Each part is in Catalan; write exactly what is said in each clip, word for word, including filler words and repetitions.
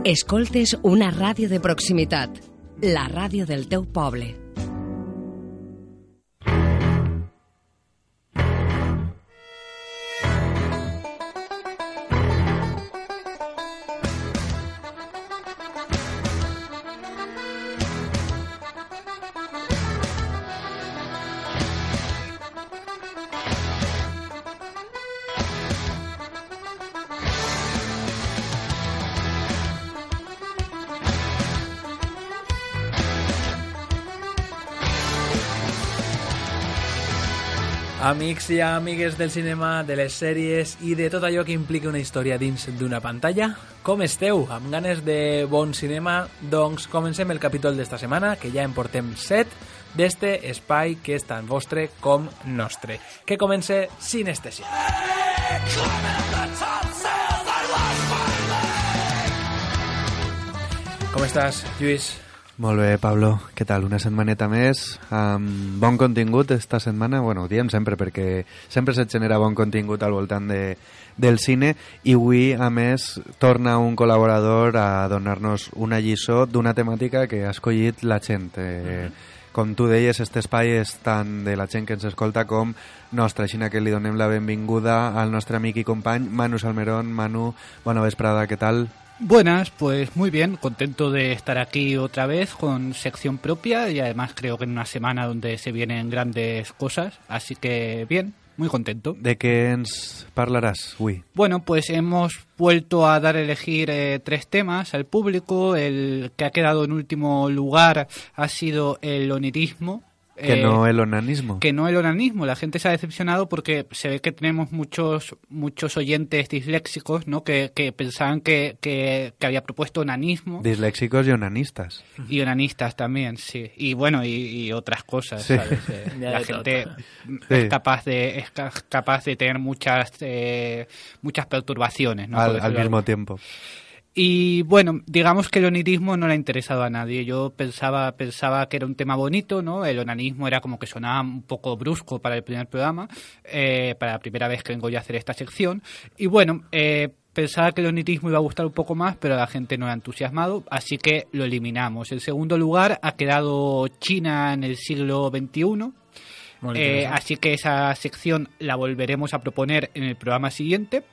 Escoltes una ràdio de proximitat, la ràdio del teu poble. Amics i amigues del cinema, de les sèries i de tot allò que implica una història dins d'una pantalla, com esteu? Amb ganes de bon cinema? Doncs comencem el capítol d'esta setmana, que ja en portem set, d'este espai que és tant vostre com nostre. Que comence Sinestesia. Com estàs, Lluís? Molt bé, Pablo. Què tal? Una setmaneta més amb bon contingut esta setmana. Bueno, ho diem sempre perquè sempre se't genera bon contingut al voltant de, del cine i avui, a més, torna un col·laborador a donar-nos una lliçó d'una temàtica que ha escollit la gent. Eh, com tu deies, este espai és tant de la gent que ens escolta com nostra, així que li donem la benvinguda al nostre amic i company Manu Salmerón. Manu, bona vesprada, què tal? Buenas, pues muy bien, contento de estar aquí otra vez con sección propia y además creo que en una semana donde se vienen grandes cosas, así que bien, muy contento. ¿De qué ens parlarás, Uy? Bueno, pues hemos vuelto a dar a elegir eh, tres temas al público. El que ha quedado en último lugar ha sido el onirismo. Que eh, no el onanismo. Que no el onanismo. La gente se ha decepcionado porque se ve que tenemos muchos muchos oyentes disléxicos, ¿no? Que, que pensaban que, que, que había propuesto onanismo. Disléxicos y onanistas. Y onanistas también, sí. Y bueno, y, y otras cosas, sí. ¿Sabes? Eh, la gente sí. es capaz de es capaz de tener muchas eh, muchas perturbaciones, ¿no? Al, al mismo tiempo. Y bueno, digamos que el onirismo no le ha interesado a nadie. Yo pensaba pensaba que era un tema bonito, ¿no? El onanismo era como que sonaba un poco brusco para el primer programa, eh, para la primera vez que vengo yo a hacer esta sección. Y bueno, eh, pensaba que el onirismo iba a gustar un poco más, pero a la gente no le ha entusiasmado, así que lo eliminamos. En segundo lugar ha quedado China en el siglo veintiuno. Eh, así que esa sección la volveremos a proponer en el programa siguiente.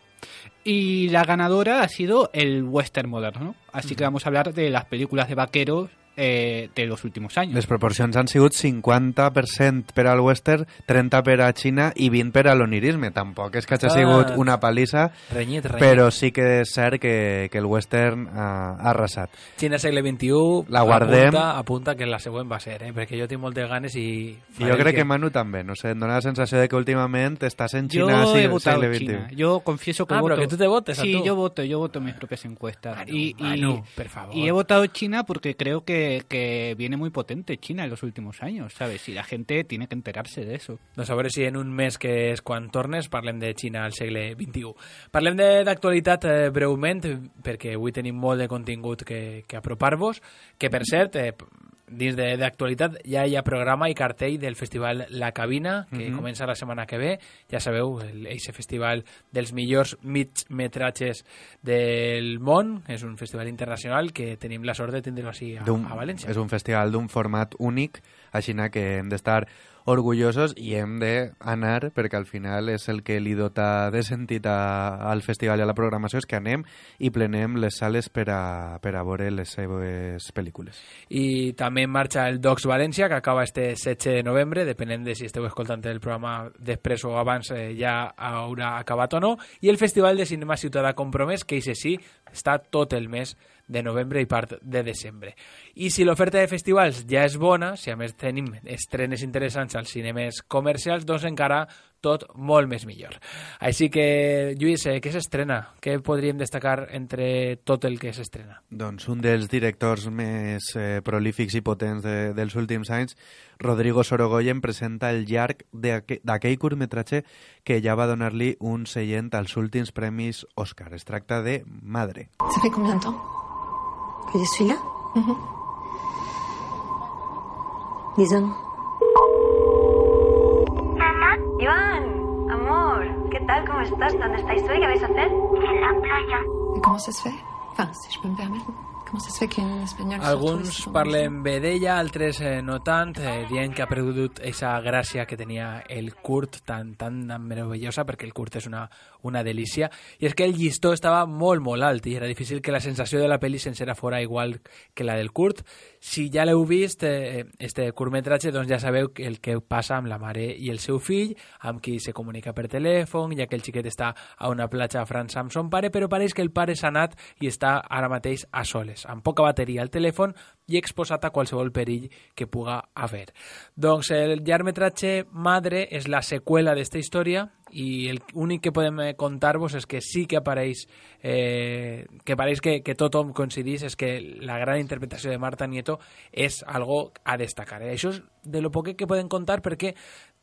Y la ganadora ha sido el western moderno, así uh-huh. que vamos a hablar de las películas de vaqueros eh, de los últimos años. Les proporcions han sigut cinquanta per cent per al western, trenta per a Xina i vint per a l'onirisme. Tampoc és que hagi sigut una palissa, renyit, renyit. Però sí que és cert que, que el western ha, ha arrasat. Xina segle vint-i-u, la guardem. Apunta, apunta que la següent va ser, eh? Perquè jo tinc moltes ganes i... I jo crec que... que Manu també, no sé, em dona la sensació de que últimament estàs en Xina yo sí, he votado segle China. vint-i-u. Yo confieso que ah, voto... pero que tú te votes, Sí, a tú. yo voto, yo voto mis propias encuestas. Manu, y, y, Manu, por favor. Y he votado China porque creo que, que viene muy potente China en los últimos años, ¿sabes? Y la gente tiene que enterarse de eso. Doncs a veure si en un mes, que és quan tornes, parlem de Xina al segle vint-i-u. Parlem d'actualitat eh, breument, perquè avui tenim molt de contingut que, que apropar-vos, que per cert... Eh, dins d'actualitat ja hi ha programa i cartell del festival La Cabina, que mm-hmm. comença la setmana que ve. Ja sabeu, aquest festival dels millors migmetratges del món. És un festival internacional que tenim la sort de tindre-lo així a, a València. És un festival d'un format únic, així que hem d'estar orgullosos i hem d'anar, perquè al final és el que li dota de sentit a, al festival i a la programació, és que anem i plenem les sales per a, per a veure les seves pel·lícules. I també en marxa el Docs València, que acaba este setze de novembre, depenent de si esteu escoltant el programa després o abans eh, ja haurà acabat o no, i el Festival de Cinema Ciutadà Compromès, que això sí, està tot el mes de novembre i part de desembre. I si l'oferta de festivals ja és bona, si a més tenim estrenes interessants als cinemes comercials, doncs encara tot molt més millor. Així que, Lluís, eh, què s'estrena? Què podríem destacar entre tot el que s'estrena? Doncs un dels directors més eh, prolífics i potents de, dels últims anys, Rodrigo Sorogoyen, presenta el llarg d'aquell curtmetratge que ja va donar-li un seient als últims premis Òscar. Es tracta de Madre. Ça fait combien de temps que je suis là? Mm-hmm. dix ans. Iván, amor, ¿qué tal? ¿Cómo estás? ¿Dónde estáis hoy? ¿Qué vais a hacer? En la playa. ¿Y cómo se fait? Enfin, si je peux me permettre. Comment ça se fait qu'un espagnol se retrouve Alguns sur- parlen bé d'ella, altres eh, no tant, eh, dient que ha perdut aquesta gràcia que tenia el Kurt tan, tan meravellosa, perquè el Kurt és una, una delícia, i és que el llistó estava molt, molt alt, i era difícil que la sensació de la pel·li sencera fora igual que la del Kurt. Si ja l'heu vist, eh, este curtmetratge, doncs ja sabeu el que passa amb la mare i el seu fill, amb qui se comunica per telèfon, ja que el xiquet està a una platja a França amb son pare, però pareix que el pare s'ha anat i està ara mateix a soles, amb poca bateria al telèfon i exposat a qualsevol perill que puga haver. Doncs el llargmetratge Madre és la seqüela d'esta història i l'únic que podem contar-vos és que sí que apareix eh, que pareix que, que tothom coincidís és que la gran interpretació de Marta Nieto és algo a destacar. Eh? Això és de lo poc que podem contar perquè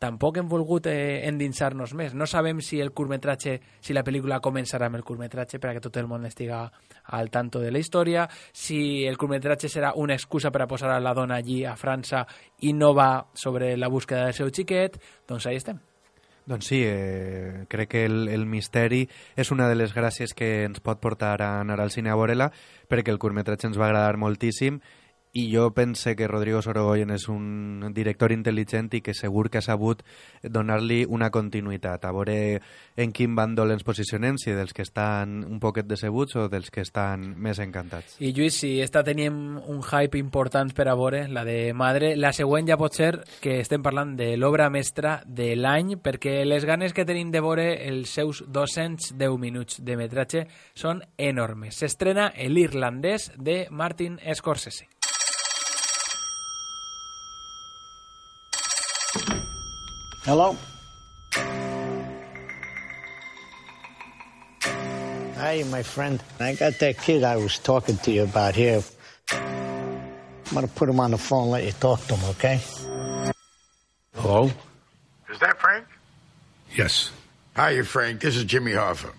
tampoc hem volgut eh, endinsar-nos més. No sabem si el curtmetratge, si la pel·lícula començarà amb el curtmetratge perquè tot el món estiga al tanto de la història, si el curtmetratge serà una excusa per a posar a la dona allí a França i no va sobre la búsqueda del seu xiquet, doncs ahí estem. Doncs sí, eh, crec que el, el misteri és una de les gràcies que ens pot portar a anar al cine a veure-la, perquè el curtmetratge ens va agradar moltíssim i jo pense que Rodrigo Sorogoyen és un director intel·ligent i que segur que ha sabut donar-li una continuïtat, a veure en quin bàndol ens posicionem, si dels que estan un poquet decebuts o dels que estan més encantats. I Lluís, si esta teníem un hype important per a veure, la de Madre, la següent ja pot ser que estem parlant de l'obra mestra de l'any, perquè les ganes que tenim de veure els seus dos-cents deu minuts de metratge són enormes. S'estrena l'irlandès de Martin Scorsese. Hello? Hey, my friend. I got that kid I was talking to you about here. I'm going to put him on the phone and let you talk to him, okay? Hello? Is that Frank? Yes. Hi, Frank. This is Jimmy Hoffa.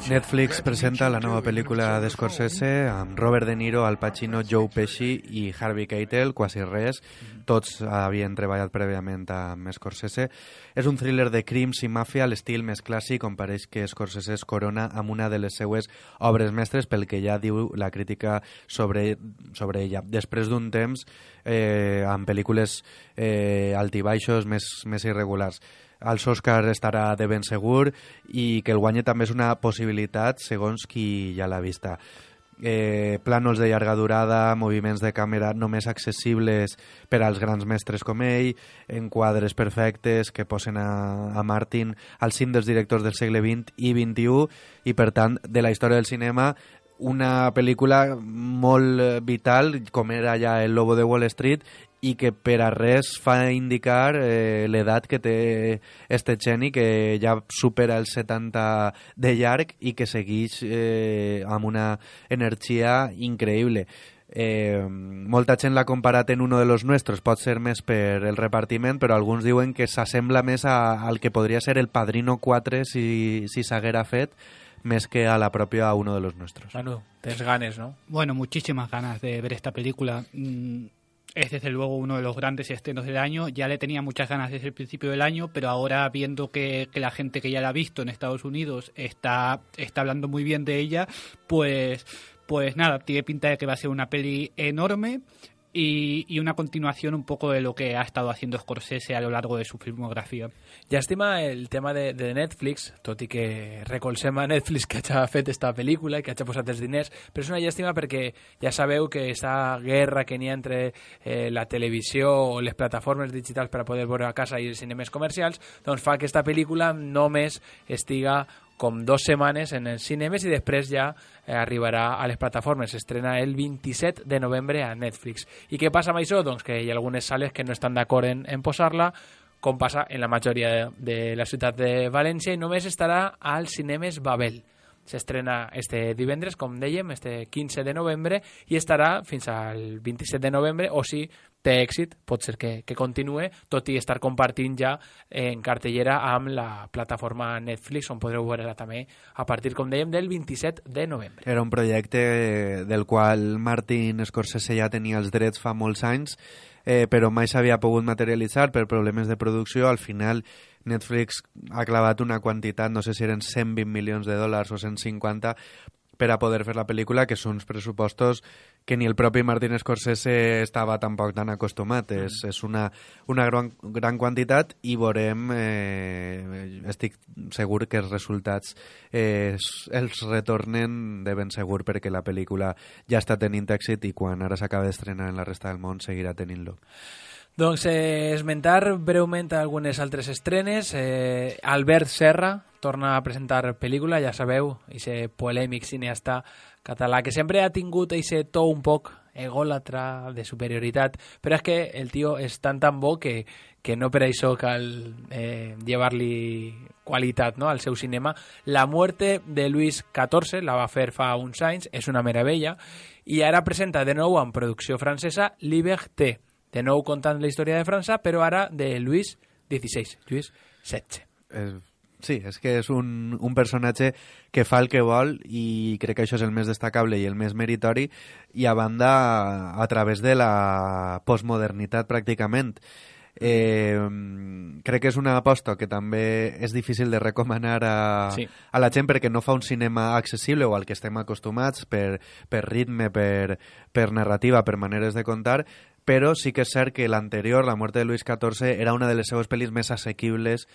Netflix presenta la nova pel·lícula de Scorsese amb Robert De Niro, Al Pacino, Joe Pesci i Harvey Keitel, quasi res. Tots havien treballat prèviament amb Scorsese. És un thriller de crims i màfia a l'estil més clàssic, on pareix que Scorsese es corona amb una de les seues obres mestres, pel que ja diu la crítica sobre, sobre ella. Després d'un temps, eh, amb pel·lícules eh, altibaixos més, més irregulars. als Oscars estarà de ben segur i que el guanye també és una possibilitat segons qui ja l'ha vista. Eh, plànols de llarga durada, moviments de càmera només accessibles per als grans mestres com ell, enquadres perfectes que posen a, a Martin al cim dels directors del segle vint i vint-i-u i, per tant, de la història del cinema, una pel·lícula molt vital, com era ja El Lobo de Wall Street, i que per a res fa indicar eh, l'edat que té este geni, que ja supera els setanta de llarg i que segueix eh, amb una energia increïble. Eh, molta gent l'ha comparat en uno de los nuestros, pot ser més per el repartiment, però alguns diuen que s'assembla més a, al que podria ser el Padrino quatre si, si s'haguera fet, més que a la propia Uno de los Nuestros. Manu, tienes ganas, ¿no? Bueno, muchísimas ganas de ver esta película. Mm, es desde luego uno de los grandes estrenos del año. Ya le tenía muchas ganas desde el principio del año, pero ahora viendo que, que la gente que ya la ha visto en Estados Unidos está, está hablando muy bien de ella, pues, pues nada, tiene pinta de que va a ser una peli enorme. Y, y una continuación un poco de lo que ha estado haciendo Scorsese a lo largo de su filmografia. Llàstima el tema de, de Netflix, tot i que recolzem a Netflix que hagi fet esta pel·lícula i que hagi posat els diners, però és una llàstima perquè ja sabeu que aquesta guerra que n'hi ha entre eh, la televisió o les plataformes digitals per a poder veure a casa i els cinemes comercials, doncs fa que aquesta pel·lícula només estiga com dos setmanes en els cinemes i després ja eh, arribarà a les plataformes. S'estrena el vint-i-set de novembre a Netflix. I què passa amb això? Doncs que hi ha algunes sales que no estan d'acord en, en posar-la, com passa en la majoria de, de la ciutat de València, i només estarà als cinemes Babel. S'estrena este divendres, com dèiem, este quinze de novembre, i estarà fins al vint-i-set de novembre, o si té èxit, pot ser que, que continue, tot i estar compartint ja en cartellera amb la plataforma Netflix, on podreu veure-la també a partir, com dèiem, del vint-i-set de novembre. Era un projecte del qual Martin Scorsese ja tenia els drets fa molts anys, eh, però mai s'havia pogut materialitzar per problemes de producció. Al final Netflix ha clavat una quantitat, no sé si eren cent vint milions de dòlars o cent cinquanta, per a poder fer la pel·lícula, que són uns pressupostos que ni el propi Martin Scorsese estava tampoc tan acostumat. Mm. És, és una, una gran, gran quantitat i veurem, eh, estic segur que els resultats eh, els retornen de ben segur, perquè la pel·lícula ja està tenint èxit i quan ara s'acaba d'estrenar en la resta del món seguirà tenint-lo. Doncs eh, esmentar breument algunes altres estrenes. Eh, Albert Serra torna a presentar pel·lícula, ja sabeu, aquest polèmic cineasta català que sempre ha tingut aquest to un poc egòlatra, de superioritat, però és que el tio és tan tan bo que, que no per això cal eh, llevar-li qualitat, no?, al seu cinema. La muerte de Luis catorze la va fer fa uns anys, és una meravella, i ara presenta de nou en producció francesa Liberté, de nou contant la història de França, però ara de Luis dieciséis, Luis setze. Eh, sí, és que és un, un personatge que fa el que vol i crec que això és el més destacable i el més meritori, i a banda a través de la postmodernitat pràcticament. Eh, crec que és una aposta que també és difícil de recomanar a, sí. a la gent, perquè no fa un cinema accessible o al que estem acostumats per, per ritme, per, per narrativa, per maneres de contar, però sí que és cert que l'anterior, La muerte de Luis catorze, era una de les seves pel·lis més assequibles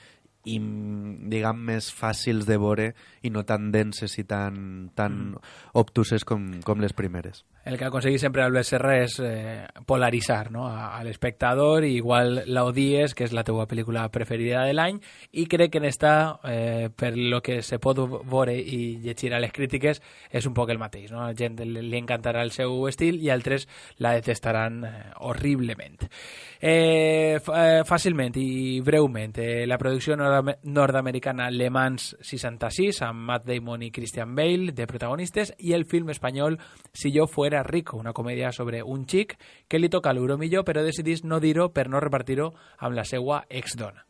i, diguem, més fàcils de veure i no tan denses i tan, tan mm. obtuses com, com les primeres. El que aconsegueix sempre Albert Serra és eh, polaritzar, no?, a, a l'espectador, i igual l'odies, que és la teua pel·lícula preferida de l'any, i crec que en esta, eh, per lo que se pot veure i llegir a les crítiques, és un poc el mateix, no? A la gent li, li encantarà el seu estil i altres la detestaran eh, horriblement. Eh, eh, fàcilment i breument, eh, la producció nord nord-americana Le Mans seixanta-sis, amb Matt Damon i Christian Bale de protagonistes, i el film espanyol Si yo fuera rico, una comèdia sobre un xic que li toca l'euro millor, però decidís no dir-ho per no repartir-ho amb la seva exdona.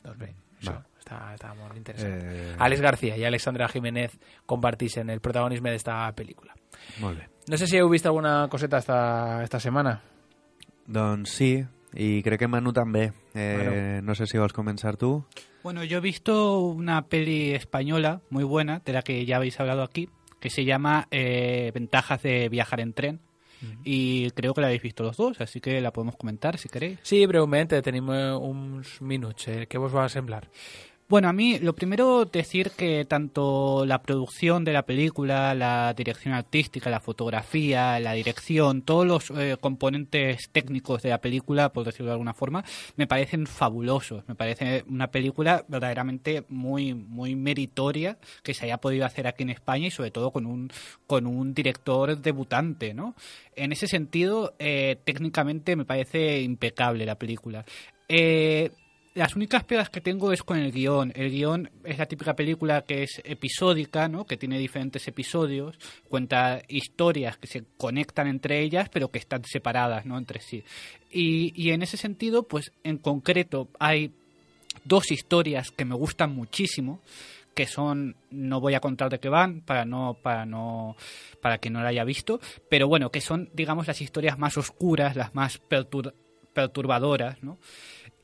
Doncs bé, això no. està, està molt interessant. Eh... Alex García i Alexandra Jiménez comparteixen el protagonisme d'esta pel·lícula. Molt bé. No sé si heu vist alguna coseta esta, esta setmana. Doncs sí, y creo que Manu también. Eh, bueno. No sé si vas a comenzar tú. Bueno, yo he visto una peli española muy buena, de la que ya habéis hablado aquí, que se llama eh, Ventajas de viajar en tren. Uh-huh. Y creo que la habéis visto los dos, así que la podemos comentar si queréis. Sí, brevemente, tenemos uns minuts. Eh, ¿Qué vos va a semblar? Bueno, a mí lo primero decir que tanto la producción de la película, la dirección artística, la fotografía, la dirección, todos los eh, componentes técnicos de la película, por decirlo de alguna forma, me parecen fabulosos. Me parece una película verdaderamente muy muy meritoria que se haya podido hacer aquí en España, y sobre todo con un con un director debutante, ¿no? En ese sentido, eh, técnicamente me parece impecable la película. Eh... Las únicas pegas que tengo es con el guión. El guión es la típica película que es episódica, ¿no?, que tiene diferentes episodios, cuenta historias que se conectan entre ellas, pero que están separadas, ¿no?, entre sí. Y, y en ese sentido, pues en concreto hay dos historias que me gustan muchísimo, que son, no voy a contar de qué van para no para no para que no la haya visto, pero bueno, que son, digamos, las historias más oscuras, las más pertur- perturbadoras, ¿no?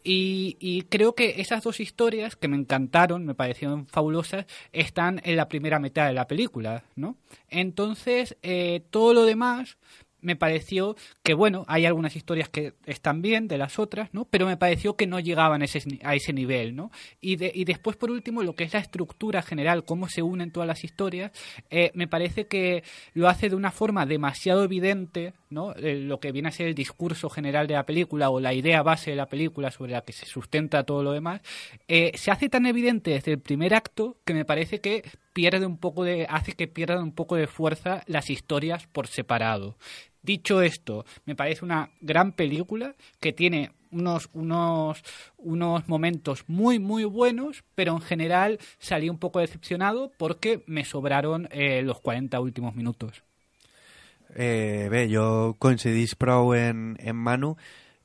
Y, y creo que esas dos historias, que me encantaron, me parecieron fabulosas, están en la primera mitad de la película, ¿no? Entonces, eh, todo lo demás me pareció que, bueno, hay algunas historias que están bien de las otras, ¿no?, pero me pareció que no llegaban a ese, a ese nivel, ¿no? Y, de, y después, por último, lo que es la estructura general, cómo se unen todas las historias, eh, me parece que lo hace de una forma demasiado evidente, ¿no?, eh, lo que viene a ser el discurso general de la película o la idea base de la película sobre la que se sustenta todo lo demás, eh, se hace tan evidente desde el primer acto que me parece que pierde un poco de, hace que pierdan un poco de fuerza las historias por separado. Dicho esto, me parece una gran película que tiene unos, unos, unos momentos muy, muy buenos, pero en general salí un poco decepcionado porque me sobraron eh, los cuarenta últimos minutos. Eh, bé, jo coincidís prou en, en Manu.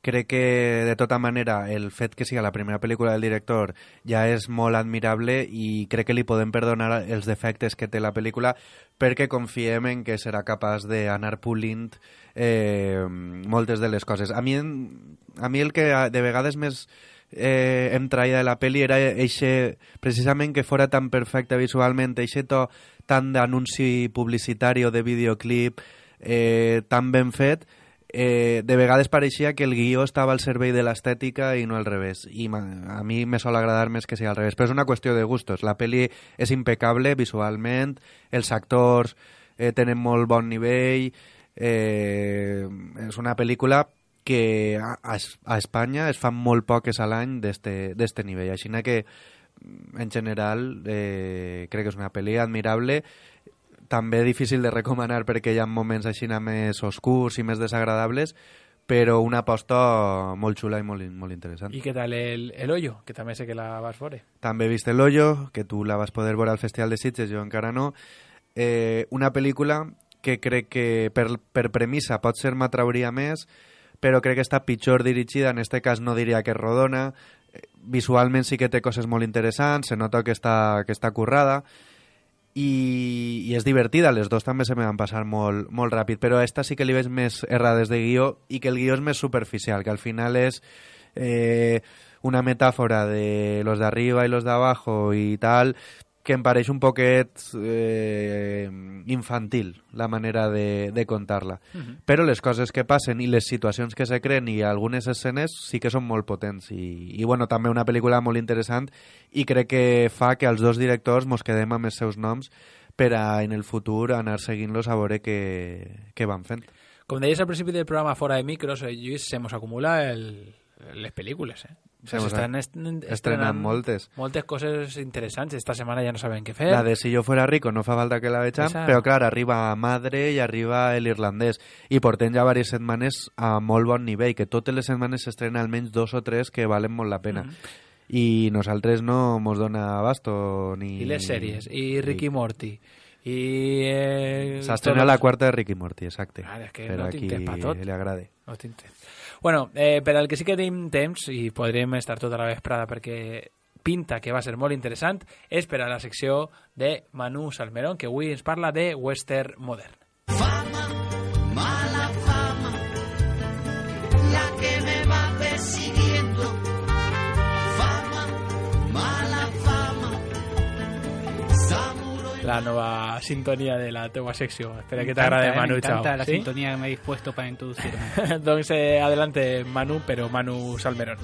Crec que, de tota manera, el fet que siga la primera pel·lícula del director ja és molt admirable i crec que li podem perdonar els defectes que té la pel·lícula, perquè confiem en que serà capaç d'anar pulint eh, moltes de les coses. A mi, a mi el que de vegades més eh, em traia de la peli era eixe, precisament que fora tan perfecte visualment, eixe to tant d'anunci publicitari o de videoclip eh, tan ben fet, eh, de vegades pareixia que el guió estava al servei de l'estètica i no al revés, i a mi me sol agradar més que sigui al revés, però és una qüestió de gustos. La peli és impecable visualment, els actors eh, tenen molt bon nivell, eh, és una pel·lícula que a, a Espanya es fan molt poques a l'any d'este nivell, així que en general eh, crec que és una pel·li admirable, també difícil de recomanar perquè hi ha moments així més oscurs i més desagradables, però una aposta molt xula i molt, molt interessant. I què tal el, el Hoyo, que també sé que la vas veure? També he vist el Hoyo, que tu la vas poder veure al Festival de Sitges, jo encara no. Eh, una pel·lícula que crec que per, per premissa pot ser m'atrauria més, però crec que està pitjor dirigida, en este cas no diria que és rodona, visualment sí que té coses molt interessants, se nota que està, que està currada, i, i és divertida, les dos també se me van passar molt, molt ràpid, però a esta sí que li veig més errades de guió i que el guió és més superficial, que al final és eh, una metàfora de los de arriba i los de abajo i tal, que em pareix un poquet eh, infantil la manera de, de contar-la. Uh-huh. Però les coses que passen i les situacions que se creen i algunes escenes sí que són molt potents. I, i bueno, també una pel·lícula molt interessant i crec que fa que els dos directors mos quedem amb els seus noms per a en el futur anar seguint-los a veure què, què van fent. Com deies al principi del programa fora de micros, eh, Lluís, se mos acumula el, les pel·lícules, eh? S'estan estrenant moltes. Moltes coses interessants. Esta setmana ja no saben què fer. La de Si yo fuera rico no fa falta que la vegem, Esa... però clar, arriba Madre i arriba el irlandès. I portem ja diverses setmanes a molt bon nivell, que totes les setmanes s'estrenen almenys dos o tres que valen molt la pena. Mm. I nosaltres no mos dona abasto ni... I les sèries, i Ricky i... Morty. I... Eh, S'ha estrenat la quarta de Ricky Morty, exacte. Ah, és que per no a qui pa tot. li agrade. No bueno, eh, per al que sí que tenim temps, i podrem estar tota la vesprada perquè pinta que va ser molt interessant, és per a la secció de Manu Salmerón, que avui ens parla de western modern. Fama, mala fama, la que me va persiguiendo. Fama, mala fama, la nova sintonia de la teua secció. Espera que t'agrade, eh, Manu. Me encanta Chao. la ¿Sí? sintonía que me he dispuesto para introducirme. Entonces, eh, adelante, Manu, pero Manu Salmerón.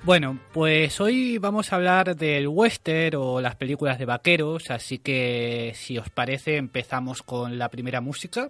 Bueno, pues hoy vamos a hablar del western o las películas de vaqueros, así que si os parece empezamos con la primera música.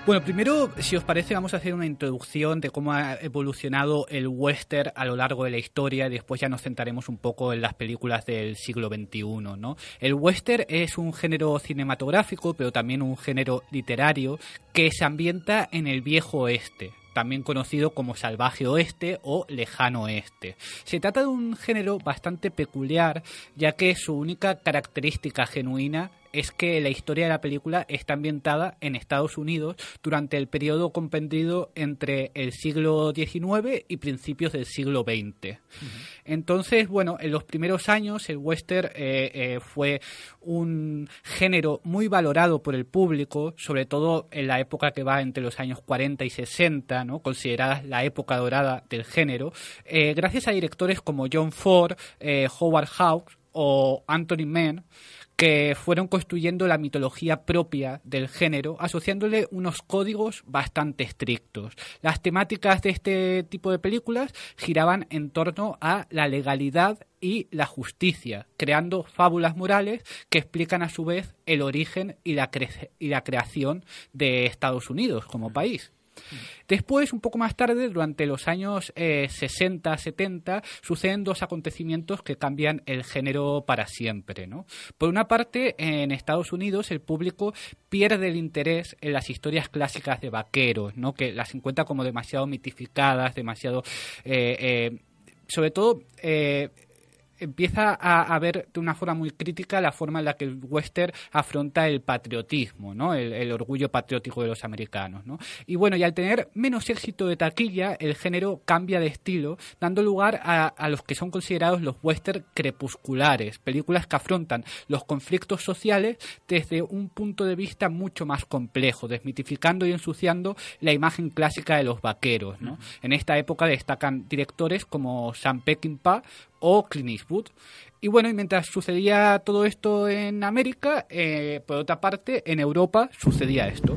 Bueno, primero, si os parece, vamos a hacer una introducción de cómo ha evolucionado el western a lo largo de la historia y después ya nos centraremos un poco en las películas del siglo veintiuno, ¿no? El western es un género cinematográfico, pero también un género literario que se ambienta en el viejo oeste, también conocido como salvaje oeste o lejano oeste. Se trata de un género bastante peculiar, ya que su única característica genuina es que la historia de la película está ambientada en Estados Unidos durante el periodo comprendido entre el siglo diecinueve y principios del siglo veinte. Uh-huh. Entonces, bueno, en los primeros años el western eh, eh, fue un género muy valorado por el público, sobre todo en la época que va entre los años cuarenta y sesenta, ¿no? Considerada la época dorada del género, eh, gracias a directores como John Ford, eh, Howard Hawks o Anthony Mann, que fueron construyendo la mitología propia del género, asociándole unos códigos bastante estrictos. Las temáticas de este tipo de películas giraban en torno a la legalidad y la justicia, creando fábulas morales que explican a su vez el origen y la, cre- y la creación de Estados Unidos como país. Después, un poco más tarde, durante los años eh, sesenta, setenta, suceden dos acontecimientos que cambian el género para siempre, ¿no? Por una parte, en Estados Unidos el público pierde el interés en las historias clásicas de vaqueros, ¿no? Que las encuentra como demasiado mitificadas, demasiado... Eh, eh, sobre todo... Eh, empieza a, a ver de una forma muy crítica la forma en la que el western afronta el patriotismo, ¿no? El, el orgullo patriótico de los americanos, ¿no? Y bueno, y al tener menos éxito de taquilla, el género cambia de estilo, dando lugar a, a los que son considerados los western crepusculares, películas que afrontan los conflictos sociales desde un punto de vista mucho más complejo, desmitificando y ensuciando la imagen clásica de los vaqueros, ¿no? Uh-huh. En esta época destacan directores como Sam Peckinpah o Clint Eastwood. Y bueno, y mientras sucedía todo esto en América, eh, por otra parte, en Europa sucedía esto.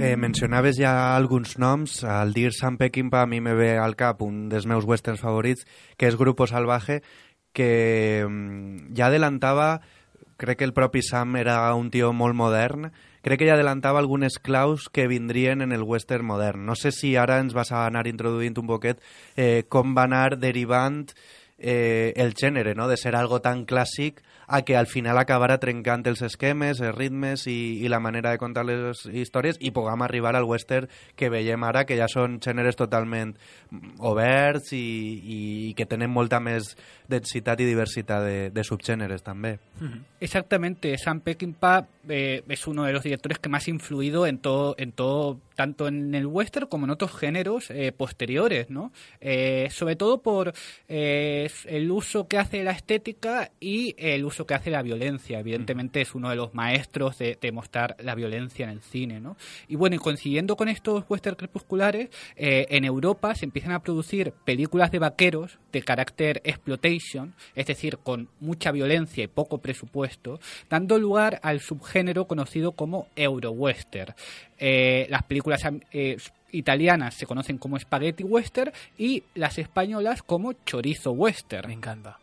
Eh, mencionaves ja alguns noms. Al dir Sam Peckinpah a mi me ve al cap un dels meus westerns favorits, que és Grupo Salvaje, que ja adelantava, crec que el propi Sam era un tio molt modern, crec que ja adelantava algunes claus que vindrien en el western modern. No sé si ara ens vas a anar introduint un poquet eh, com va anar derivant eh, el gènere, no? De ser algo tan clàssic a que al final acabara trencant els esquemes, els ritmes i, i la manera de contar les històries i puguem arribar al western que veiem ara, que ja són gèneres totalment oberts i, i que tenen molta més densitat i diversitat de, de subgéneres també. Exactamente, Sam Peckinpah eh, es uno de los directores que más ha influido en todo, en todo, tanto en el western como en otros géneros eh, posteriores, ¿no? Eh, sobre todo por eh, el uso que hace de la estética y el uso que hace de la violencia. Evidentemente es uno de los maestros de, de mostrar la violencia en el cine, ¿no? Y bueno, y coincidiendo con estos western crepusculares, eh, en Europa se empiezan a producir películas de vaqueros de carácter exploitation, es decir, con mucha violencia y poco presupuesto, dando lugar al subgénero conocido como Eurowestern. Eh, las películas eh, italianas se conocen como Spaghetti Western y las españolas como Chorizo Western. Me encanta.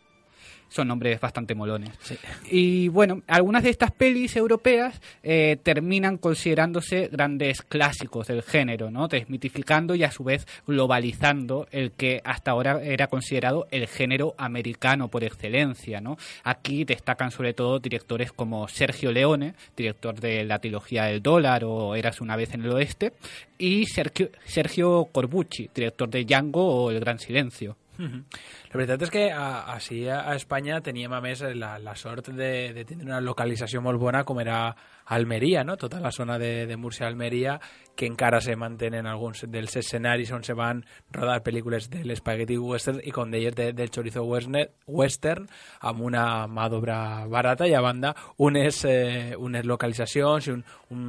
Son nombres bastante molones. Sí. Y bueno, algunas de estas pelis europeas eh, terminan considerándose grandes clásicos del género, ¿no? Desmitificando y a su vez globalizando el que hasta ahora era considerado el género americano por excelencia, ¿no? Aquí destacan sobre todo directores como Sergio Leone, director de la trilogía del dólar o Érase una vez en el oeste, y Sergio, Sergio Corbucci, director de Django o El gran silencio. Uh-huh. La veritat és que a, així a Espanya teníem a més la, la sort de, de tenir una localització molt bona com era Almeria, no? Tota la zona de, de Múrcia-Almeria, que encara se mantenen alguns dels escenaris on se van rodar pel·lícules de l'Spaghetti Western i, com deies, de, del Chorizo Western amb una mà d'obra barata i a banda unes, eh, unes localitzacions i un, un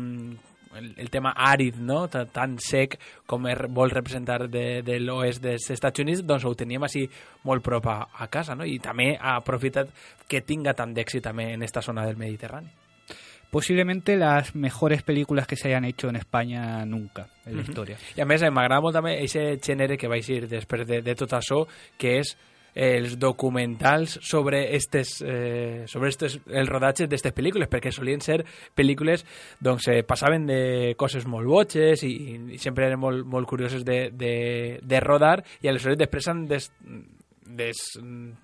El, el tema àrid, no? Tan, tan sec com er, vol representar de, de l'oest dels Estats Units, doncs ho teníem així molt prop a, a casa, no? I també ha aprofitat que tinga tant d'èxit també en esta zona del Mediterrani. Posiblemente las mejores películas que se hayan hecho en España nunca en la uh-huh. història. I a més m'agrada molt també aquest gènere que vaig dir després de, de tot això, que és els documentals sobre estes, eh, sobre estes, els rodatges d'aquestes pel·lícules, perquè solien ser pel·lícules doncs eh, passaven de coses molt boges i, i sempre eren molt, molt curioses de, de, de rodar i aleshores després han des, des,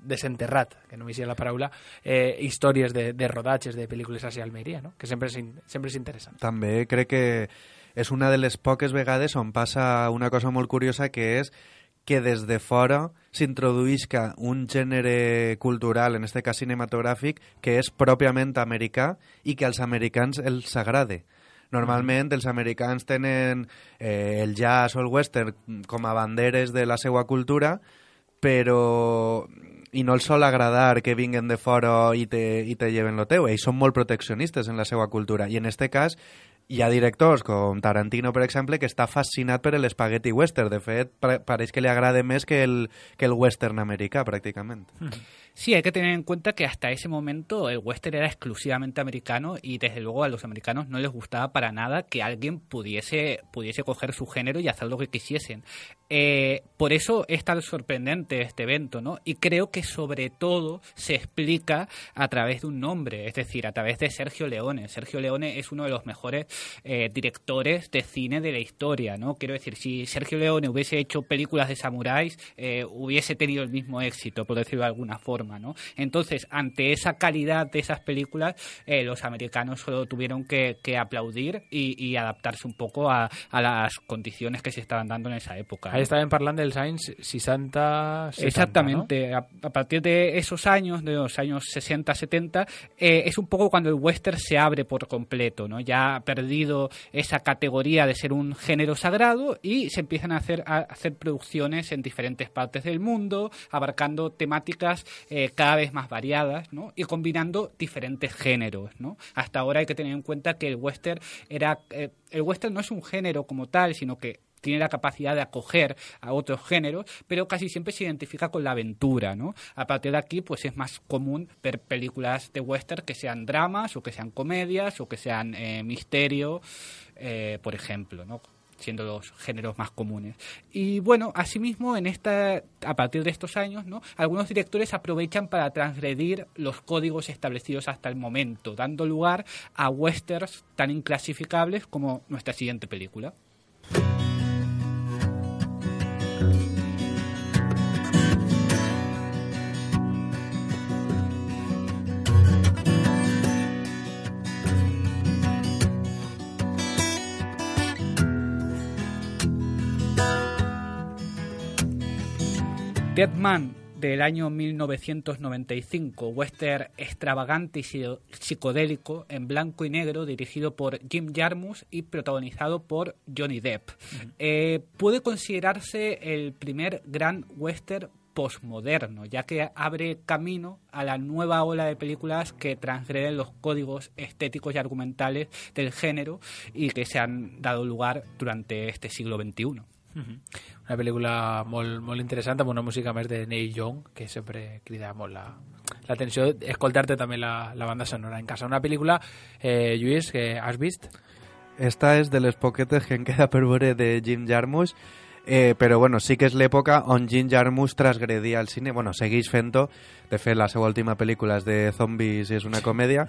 desenterrat, que no m'hi sé la paraula, eh, històries de, de rodatges de pel·lícules hacia Almeria, no? Que sempre és, sempre és interessant. També crec que és una de les poques vegades on passa una cosa molt curiosa, que és que des de fora s'introduïsca un gènere cultural, en este cas cinematogràfic, que és pròpiament americà i que als americans els agrade. Normalment els americans tenen eh, el jazz o el western com a banderes de la seva cultura, però i no els sol agradar que vinguen de fora i te, i te lleven lo teu. Ells són molt proteccionistes en la seva cultura i en este cas hi ha directors com Tarantino, per exemple, que està fascinat per l'Spaghetti Western. De fet, pareix que li agrada més que el, que el western americà, pràcticament. Sí, hay que tener en cuenta que hasta ese momento el western era exclusivamente americano y desde luego a los americanos no les gustaba para nada que alguien pudiese, pudiese coger su género y hacer lo que quisiesen. Eh, por eso es tan sorprendente este evento, ¿no? Y creo que sobre todo se explica a través de un nombre, es decir, a través de Sergio Leone. Sergio Leone es uno de los mejores eh, directores de cine de la historia, ¿no? Quiero decir, si Sergio Leone hubiese hecho películas de samuráis, eh, hubiese tenido el mismo éxito, por decirlo de alguna forma, ¿no? Entonces, ante esa calidad de esas películas, eh, los americanos solo tuvieron que, que aplaudir y, y adaptarse un poco a, a las condiciones que se estaban dando en esa época, ¿no? Ahí estaban hablando del anys sesenta, setenta, Exactamente, ¿no? a, a partir de esos años, de los años sesenta, setenta, eh, es un poco cuando el western se abre por completo, ¿no? Ya ha perdido esa categoría de ser un género sagrado y se empiezan a hacer, a hacer producciones en diferentes partes del mundo, abarcando temáticas eh, cada vez más variadas, ¿no? Y combinando diferentes géneros, ¿no? Hasta ahora hay que tener en cuenta que el western era eh, el western no es un género como tal, sino que tiene la capacidad de acoger a otros géneros, pero casi siempre se identifica con la aventura, ¿no? A partir de aquí, pues es más común ver películas de western que sean dramas, o que sean comedias, o que sean eh, misterio, eh, por ejemplo, ¿no? Siendo los géneros más comunes. Y bueno, asimismo, en esta, a partir de estos años, ¿no? Algunos directores aprovechan para transgredir los códigos establecidos hasta el momento, dando lugar a westerns tan inclasificables como nuestra siguiente película. Dead Man, del año mil novecientos noventa y cinco, western extravagante y psicodélico en blanco y negro, dirigido por Jim Jarmusch y protagonizado por Johnny Depp. Uh-huh. Eh, puede considerarse el primer gran western postmoderno, ya que abre camino a la nueva ola de películas que transgreden los códigos estéticos y argumentales del género y que se han dado lugar durante este siglo veintiuno. Uh-huh. Una pel·lícula molt, molt interessant, amb una música més de Neil Young, que sempre crida molt la, l'atenció, escoltar-te també la, la banda sonora en casa. Una pel·lícula, eh, Lluís, que has vist? Esta és de les poquetes que em queda per veure de Jim Jarmusch, eh, però bueno, sí que és l'època on Jim Jarmusch transgredia el cine, bueno, segueix fent-ho, de fet la seva última pel·lícula és de zombis i és una comèdia,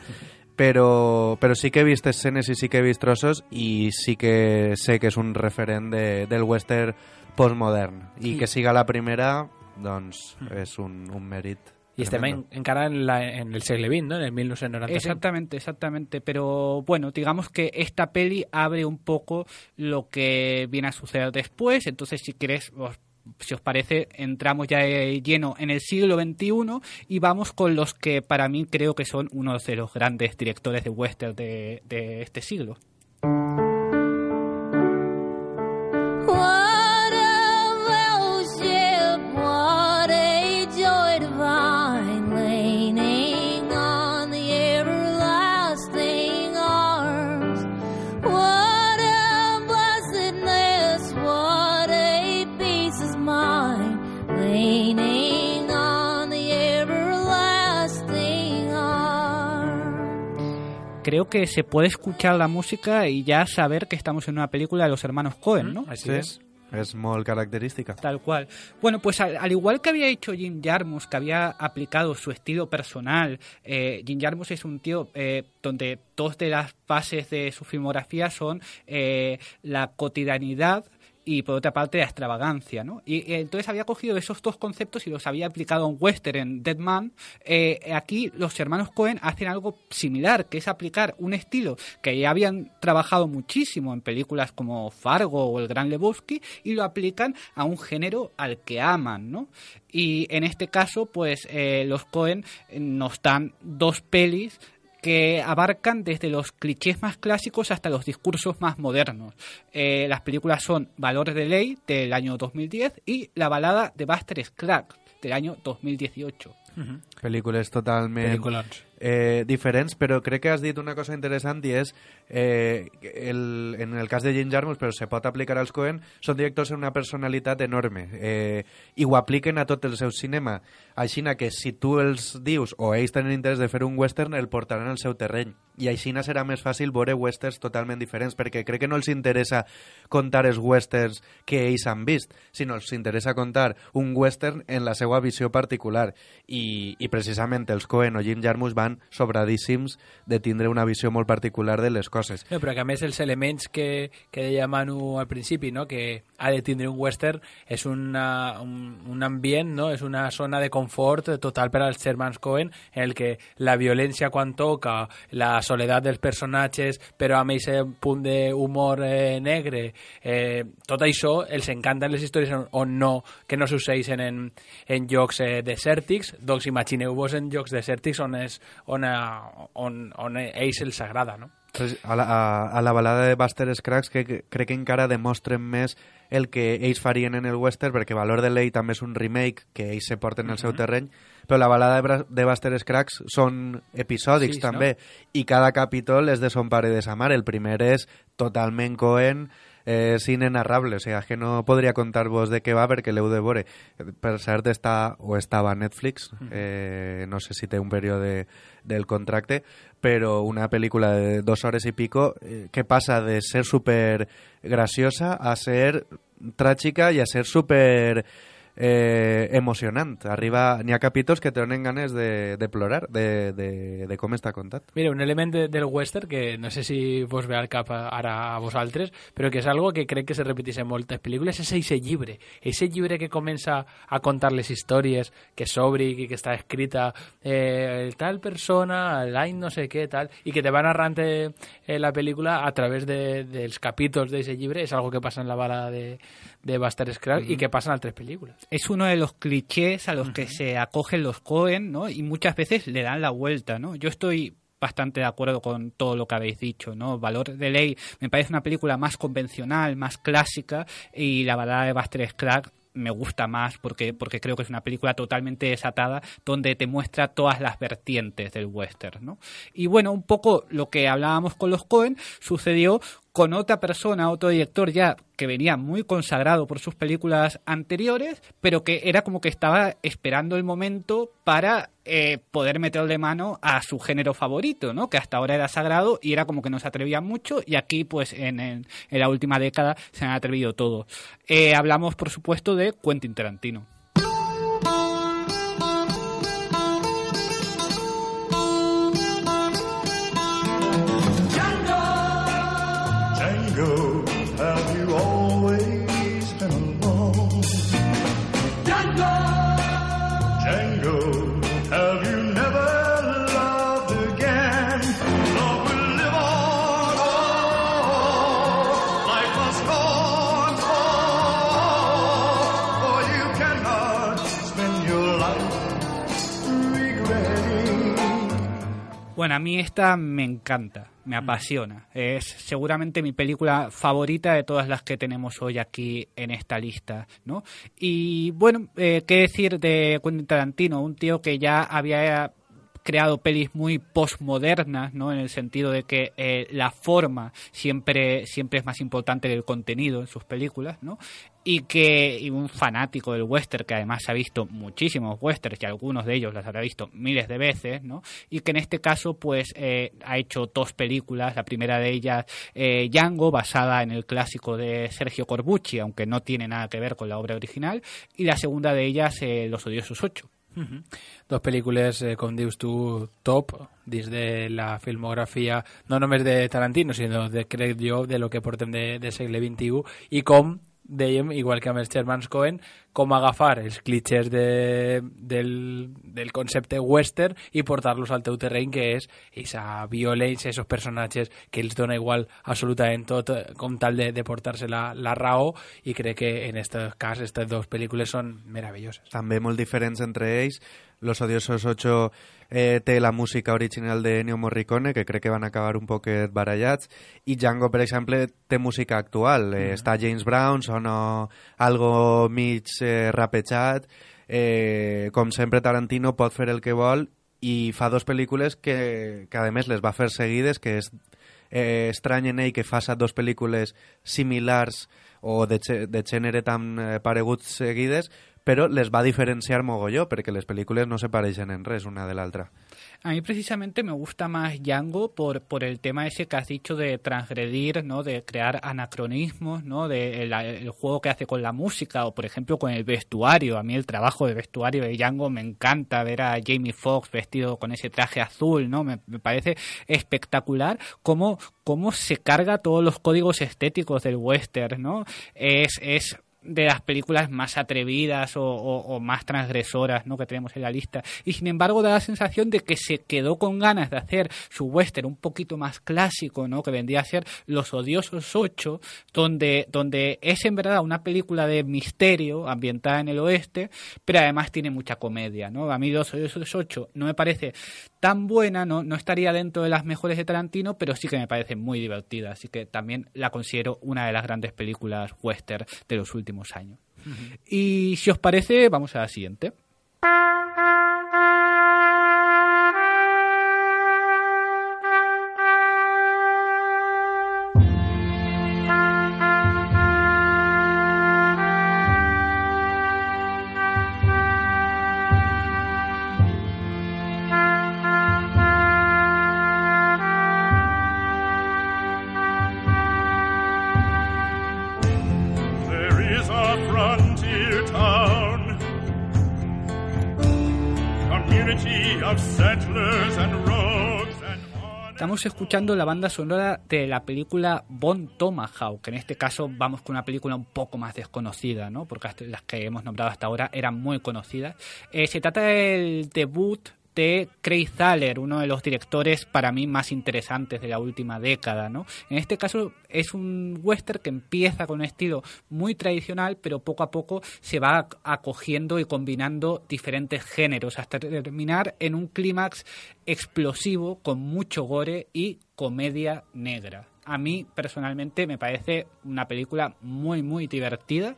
però, però sí que he vist escenes i sí que he vist trossos i sí que sé que és un referent de, del western postmodern i sí. Que siga la primera, doncs és un, un mèrit. Y estem en, encara en, la, en el segle veinte, ¿no? En el mil novecientos noventa y cinco. Exactamente, exactamente. Pero bueno, digamos que esta peli abre un poco lo que viene a suceder después. Entonces, si quieres, os, si os parece, entramos ya lleno en el siglo veintiuno y vamos con los que para mí creo que son uno de los grandes directores de western de, de este siglo. Creo que se puede escuchar la música y ya saber que estamos en una película de los hermanos Coen, ¿no? Así sí, es. Es muy característica. Tal cual. Bueno, pues al, al igual que había hecho Jim Jarmusch, que había aplicado su estilo personal, eh, Jim Jarmusch es un tío eh, donde dos de las bases de su filmografía son eh, la cotidianidad y por otra parte la extravagancia, ¿no? Y, y entonces había cogido esos dos conceptos y los había aplicado en western, en Dead Man. Eh, aquí los hermanos Coen hacen algo similar, que es aplicar un estilo que ya habían trabajado muchísimo en películas como Fargo o El Gran Lebowski y lo aplican a un género al que aman, ¿no? Y en este caso, pues eh, los Coen nos dan dos pelis que abarcan desde los clichés más clásicos hasta los discursos más modernos. Eh, las películas son Valores de Ley, del año dos mil diez, y La balada de Buster Scruggs, del año dos mil dieciocho. Uh-huh. Pel·lícules totalment eh, diferents, però crec que has dit una cosa interessant i és eh, el, en el cas de Jim Jarmusch, però se pot aplicar als Coen, són directors amb una personalitat enorme eh, i ho apliquen a tot el seu cinema, així que si tu els dius o ells tenen interès de fer un western, el portaran al seu terreny i així serà més fàcil veure westerns totalment diferents, perquè crec que no els interessa contar els westerns que ells han vist, sinó els interessa contar un western en la seva visió particular i, i precisament els Coen o Jim Jarmusch van estan sobradíssims de tindre una visió molt particular de les coses. No, però que a més els elements que, que deia Manu al principi, no? Que ha de tindre un western, és una, un, un ambient, no? És una zona de confort total per als germans Coen, en el que la violència quan toca, la soledat dels personatges, però amb aquest punt d'humor eh, negre, eh, tot això els encanten les històries on, on no, que no succeeixen en, en llocs eh, desèrtics. Doncs imagineu-vos en llocs desèrtics on, és, on, a, on, on a ells els agrada, no? A la, a, a la balada de Buster Scruggs que, que crec que encara demostren més el que ells farien en el western, perquè Valor de Ley també és un remake que ells se porten al uh-huh. seu terreny, però la balada de, de Buster Scruggs són episòdics sí, també, no? I cada capítol és de son pare de sa mare. El primer és totalment Coen, eh, cine narrable, o sigui, que no podria contar-vos de què va perquè l'heu de veure. Per cert, està, o estava a Netflix, eh, no sé si té un període del contracte, però una pel·lícula de dos hores i pico eh, que passa de ser super graciosa a ser tràgica i a ser super eh, emocionant. Arriba, n'hi ha capítols que te donen ganes de, de plorar de, de, de com està contat. Mira, un element de, del western que no sé si vos ve al cap ara a vosaltres, però que és algo que crec que se repeteix en moltes pel·lícules, és eixe llibre. Eixe llibre que comença a contar les històries, que s'obri, que, que està escrita eh, tal persona, l'any no sé què, tal, i que te va narrant eh, la pel·lícula a través de, dels capítols d'eixe llibre. És algo que passa en la bala de, de Buster Scruggs mm-hmm. i que passa en altres pel·lícules. Es uno de los clichés a los uh-huh. que se acogen los Coen, ¿no? Y muchas veces le dan la vuelta, ¿no? Yo estoy bastante de acuerdo con todo lo que habéis dicho, ¿no? Valor de Ley me parece una película más convencional, más clásica, y la balada de Buster Scruggs me gusta más porque, porque creo que es una película totalmente desatada donde te muestra todas las vertientes del western, ¿no? Y bueno, un poco lo que hablábamos con los Coen sucedió con otra persona, otro director ya que venía muy consagrado por sus películas anteriores, pero que era como que estaba esperando el momento para eh, poder meterle mano a su género favorito, ¿no? Que hasta ahora era sagrado y era como que no se atrevía mucho, y aquí pues en, en, en la última década se han atrevido todos. Eh, hablamos por supuesto de Quentin Tarantino. Have you always been alone? Django, Django, have you never loved again? Love will live on, oh, life must go on, oh, for you cannot spend your life regretting. Bueno, a mí esta me encanta. Me apasiona. Es seguramente mi película favorita de todas las que tenemos hoy aquí en esta lista, ¿no? Y bueno, eh, qué decir de Quentin Tarantino, un tío que ya había creado pelis muy postmodernas, ¿no? En el sentido de que eh, la forma siempre siempre es más importante que el contenido en sus películas, ¿no? Y que y un fanático del western, que además ha visto muchísimos westerns y algunos de ellos los habrá visto miles de veces, ¿no? Y que en este caso pues eh, ha hecho dos películas, la primera de ellas eh, Django, basada en el clásico de Sergio Corbucci, aunque no tiene nada que ver con la obra original, y la segunda de ellas eh, Los odiosos ocho. Uh-huh. Dos pel·lícules, eh, com dius tu, top dins de la filmografia no només de Tarantino, sinó de, crec jo, de lo que portem de, de segle vint-i-u, i com dèiem, igual que amb els germans Coen, com agafar els clichés de, del, del concepte western i portar-los al teu terreny, que és aquesta violència, aquests personatges que els dona igual absolutament tot, com tal de, de portar-se la, la raó, i crec que en aquest cas aquestes dues pel·lícules són meravelloses. També molt diferents entre ells. Los odiosos ocho eh, té la música original de Ennio Morricone, que crec que van acabar un poquet barallats, i Django, per exemple, té música actual. Eh, mm. Està James Brown, sona algo mig eh, rapejat. Eh, com sempre, Tarantino pot fer el que vol i fa dos pel·lícules que, que a més, les va fer seguides, que és eh, estrany en ell que faça dos pel·lícules similars o de, de gènere tan eh, pareguts seguides, però les va diferenciar mogolló, perquè les pel·lícules no se pareixen en res una de l'altra. A mí precisamente me gusta más Django por, por el tema ese que has dicho de transgredir, ¿no? De crear anacronismos, ¿no? De el, el juego que hace con la música o, por ejemplo, con el vestuario. A mí el trabajo de vestuario de Django me encanta, ver a Jamie Foxx vestido con ese traje azul, ¿no? Me, me parece espectacular cómo, cómo se carga todos los códigos estéticos del western, ¿no? Es... es de las películas más atrevidas o, o, o más transgresoras, ¿no? que tenemos en la lista, y sin embargo da la sensación de que se quedó con ganas de hacer su western un poquito más clásico, ¿no? que vendría a ser Los Odiosos Ocho, donde, donde es en verdad una película de misterio ambientada en el oeste, pero además tiene mucha comedia, ¿no? A mí Los Odiosos Ocho no me parece tan buena, no, no estaría dentro de las mejores de Tarantino, pero sí que me parece muy divertida, así que también la considero una de las grandes películas western de los últimos años. Uh-huh. Y si os parece, vamos a la siguiente. Estamos escuchando la banda sonora de la película Bone Tomahawk, en este caso vamos con una película un poco más desconocida, ¿no? Porque las que hemos nombrado hasta ahora eran muy conocidas. Eh, se trata del debut de Craig Zahler, uno de los directores para mí más interesantes de la última década, ¿no? En este caso es un western que empieza con un estilo muy tradicional, pero poco a poco se va acogiendo y combinando diferentes géneros hasta terminar en un clímax explosivo con mucho gore y comedia negra. A mí personalmente me parece una película muy muy divertida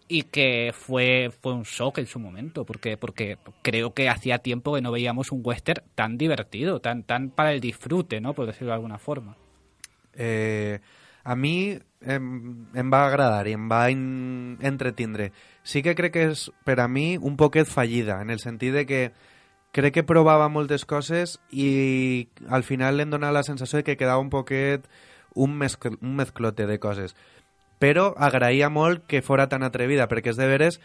y que fue fue un shock en su momento, porque porque creo que hacía tiempo que no veíamos un western tan divertido, tan tan para el disfrute, ¿no? Por decirlo de alguna forma. Eh, a mi em, em va agradar i em va in, entretindre. Sí que crec que és, per a mi, un poquet fallida, en el sentit de que crec que provava moltes coses i al final em donava la sensació de que quedava un poquet un, mezcl un mezclote de coses. Però agraïa molt que fora tan atrevida, perquè és de veres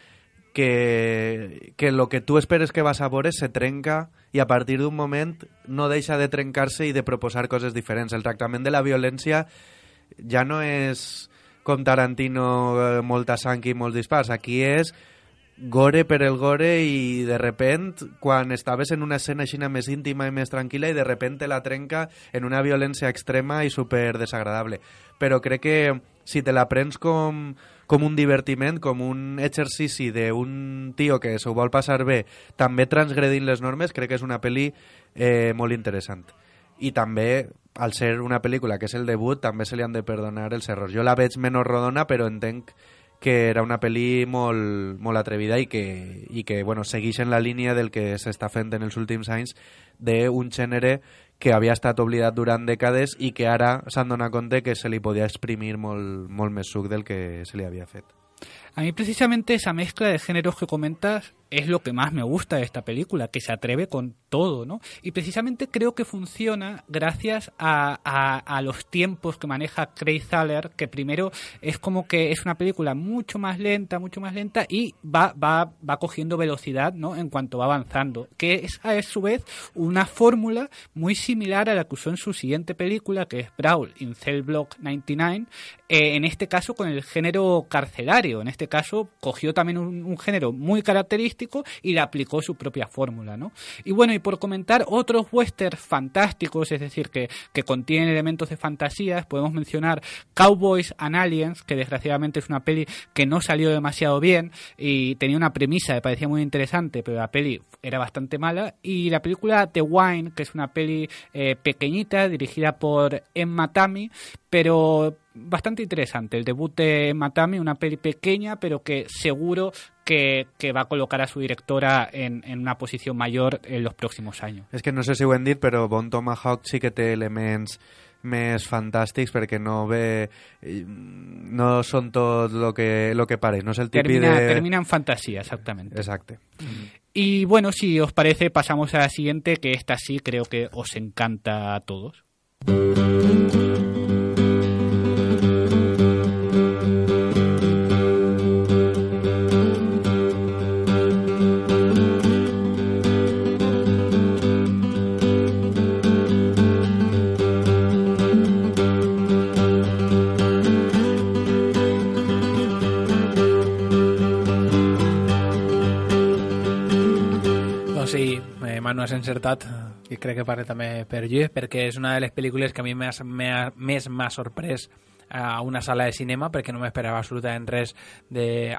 que, que lo que tu esperes que vas a veure se trenca i a partir d'un moment no deixa de trencar-se i de proposar coses diferents. El tractament de la violència ja no és com Tarantino, molta sang i molts dispars. Aquí és gore per el gore i de repent, quan estaves en una escena així més íntima i més tranquil·la i de repent la trenca en una violència extrema i super desagradable. Però crec que si te la prens com, com un divertiment, com un exercici d'un tio que s'ho vol passar bé, també transgredint les normes, crec que és una pel·li eh, molt interessant. I també, al ser una pel·lícula que és el debut, també se li han de perdonar els errors. Jo la veig menys rodona, però entenc que era una pel·li molt, molt atrevida i que, i que bueno, segueix en la línia del que s'està fent en els últims anys d'un gènere que havia estat oblidat durant dècades i que ara s'han donat compte que se li podia exprimir molt, molt més suc del que se li havia fet. A mí precisamente esa mezcla de géneros que comentas es lo que más me gusta de esta película, que se atreve con todo, ¿no? Y precisamente creo que funciona gracias a, a, a los tiempos que maneja Craig Zahler, que primero es como que es una película mucho más lenta, mucho más lenta y va, va, va cogiendo velocidad, ¿no? En cuanto va avanzando, que es a su vez una fórmula muy similar a la que usó en su siguiente película, que es Brawl in Cell Block noventa y nueve, eh, en este caso con el género carcelario. En este caso cogió también un, un género muy característico y le aplicó su propia fórmula, ¿no? Y bueno, y por comentar otros westerns fantásticos, es decir, que, que contienen elementos de fantasías, podemos mencionar Cowboys and Aliens, que desgraciadamente es una peli que no salió demasiado bien y tenía una premisa que parecía muy interesante, pero la peli era bastante mala, y la película The Wine, que es una peli eh, pequeñita, dirigida por Emma Tammi, pero bastante interesante. El debut de Emma Tammi, una peli pequeña, pero que seguro que, que va a colocar a su directora en, en una posición mayor en los próximos años. És que no sé si ho hem dit, però Bone Tomahawk sí que té elements més fantàstics perquè no ve no són tot lo que, lo que pareix, no és el típic termina, de... termina en fantasía, exactamente. Exacte. Mm. Y bueno, si os parece, pasamos a la siguiente, que esta sí creo que os encanta a todos. Manu has encertat, i crec que parla també per Lluís, perquè és una de les pel·lícules que a mi més m'ha sorprès a una sala de cinema, perquè no m'esperava absolutament res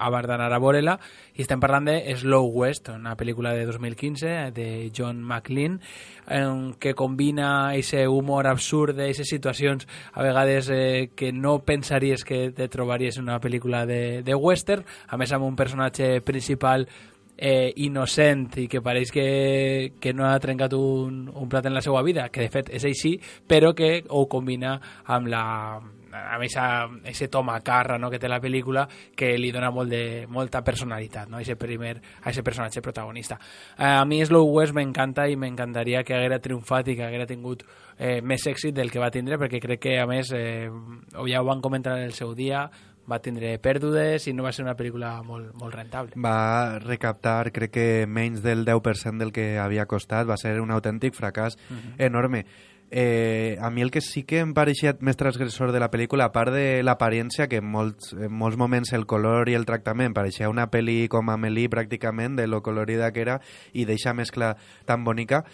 abans d'anar a veure-la, i estem parlant de Slow West, una pel·lícula de dos mil quinze de John McLean, que combina aquest humor absurd d'aquestes situacions a vegades eh, que no pensaries que te trobaries en una pel·lícula de, de western, a més amb un personatge principal Eh, innocent i que pareix que, que no ha trencat un, un plat en la seva vida, que de fet és així, però que ho combina amb la amb aquest to macarra, no?, que té la pel·lícula, que li dona molt de, molta personalitat, no?, a aquest primer, a aquest personatge protagonista. Eh, a mi Slow West m'encanta i m'encantaria que haguera triomfat i que haguera tingut eh, més èxit del que va tindre, perquè crec que, a més, eh, ja ho van comentar en el seu dia, va tindre pèrdues i no va ser una pel·lícula molt, molt rentable. Va recaptar, crec que menys del deu per cent del que havia costat, va ser un autèntic fracàs uh-huh. enorme. Eh, a mi el que sí que em pareixia més transgressor de la pel·lícula, a part de l'apariència, que en molts, en molts moments el color i el tractament pareixia una pel·li com Amélie pràcticament, de lo colorida que era, i d'eixa mescla tan bonica,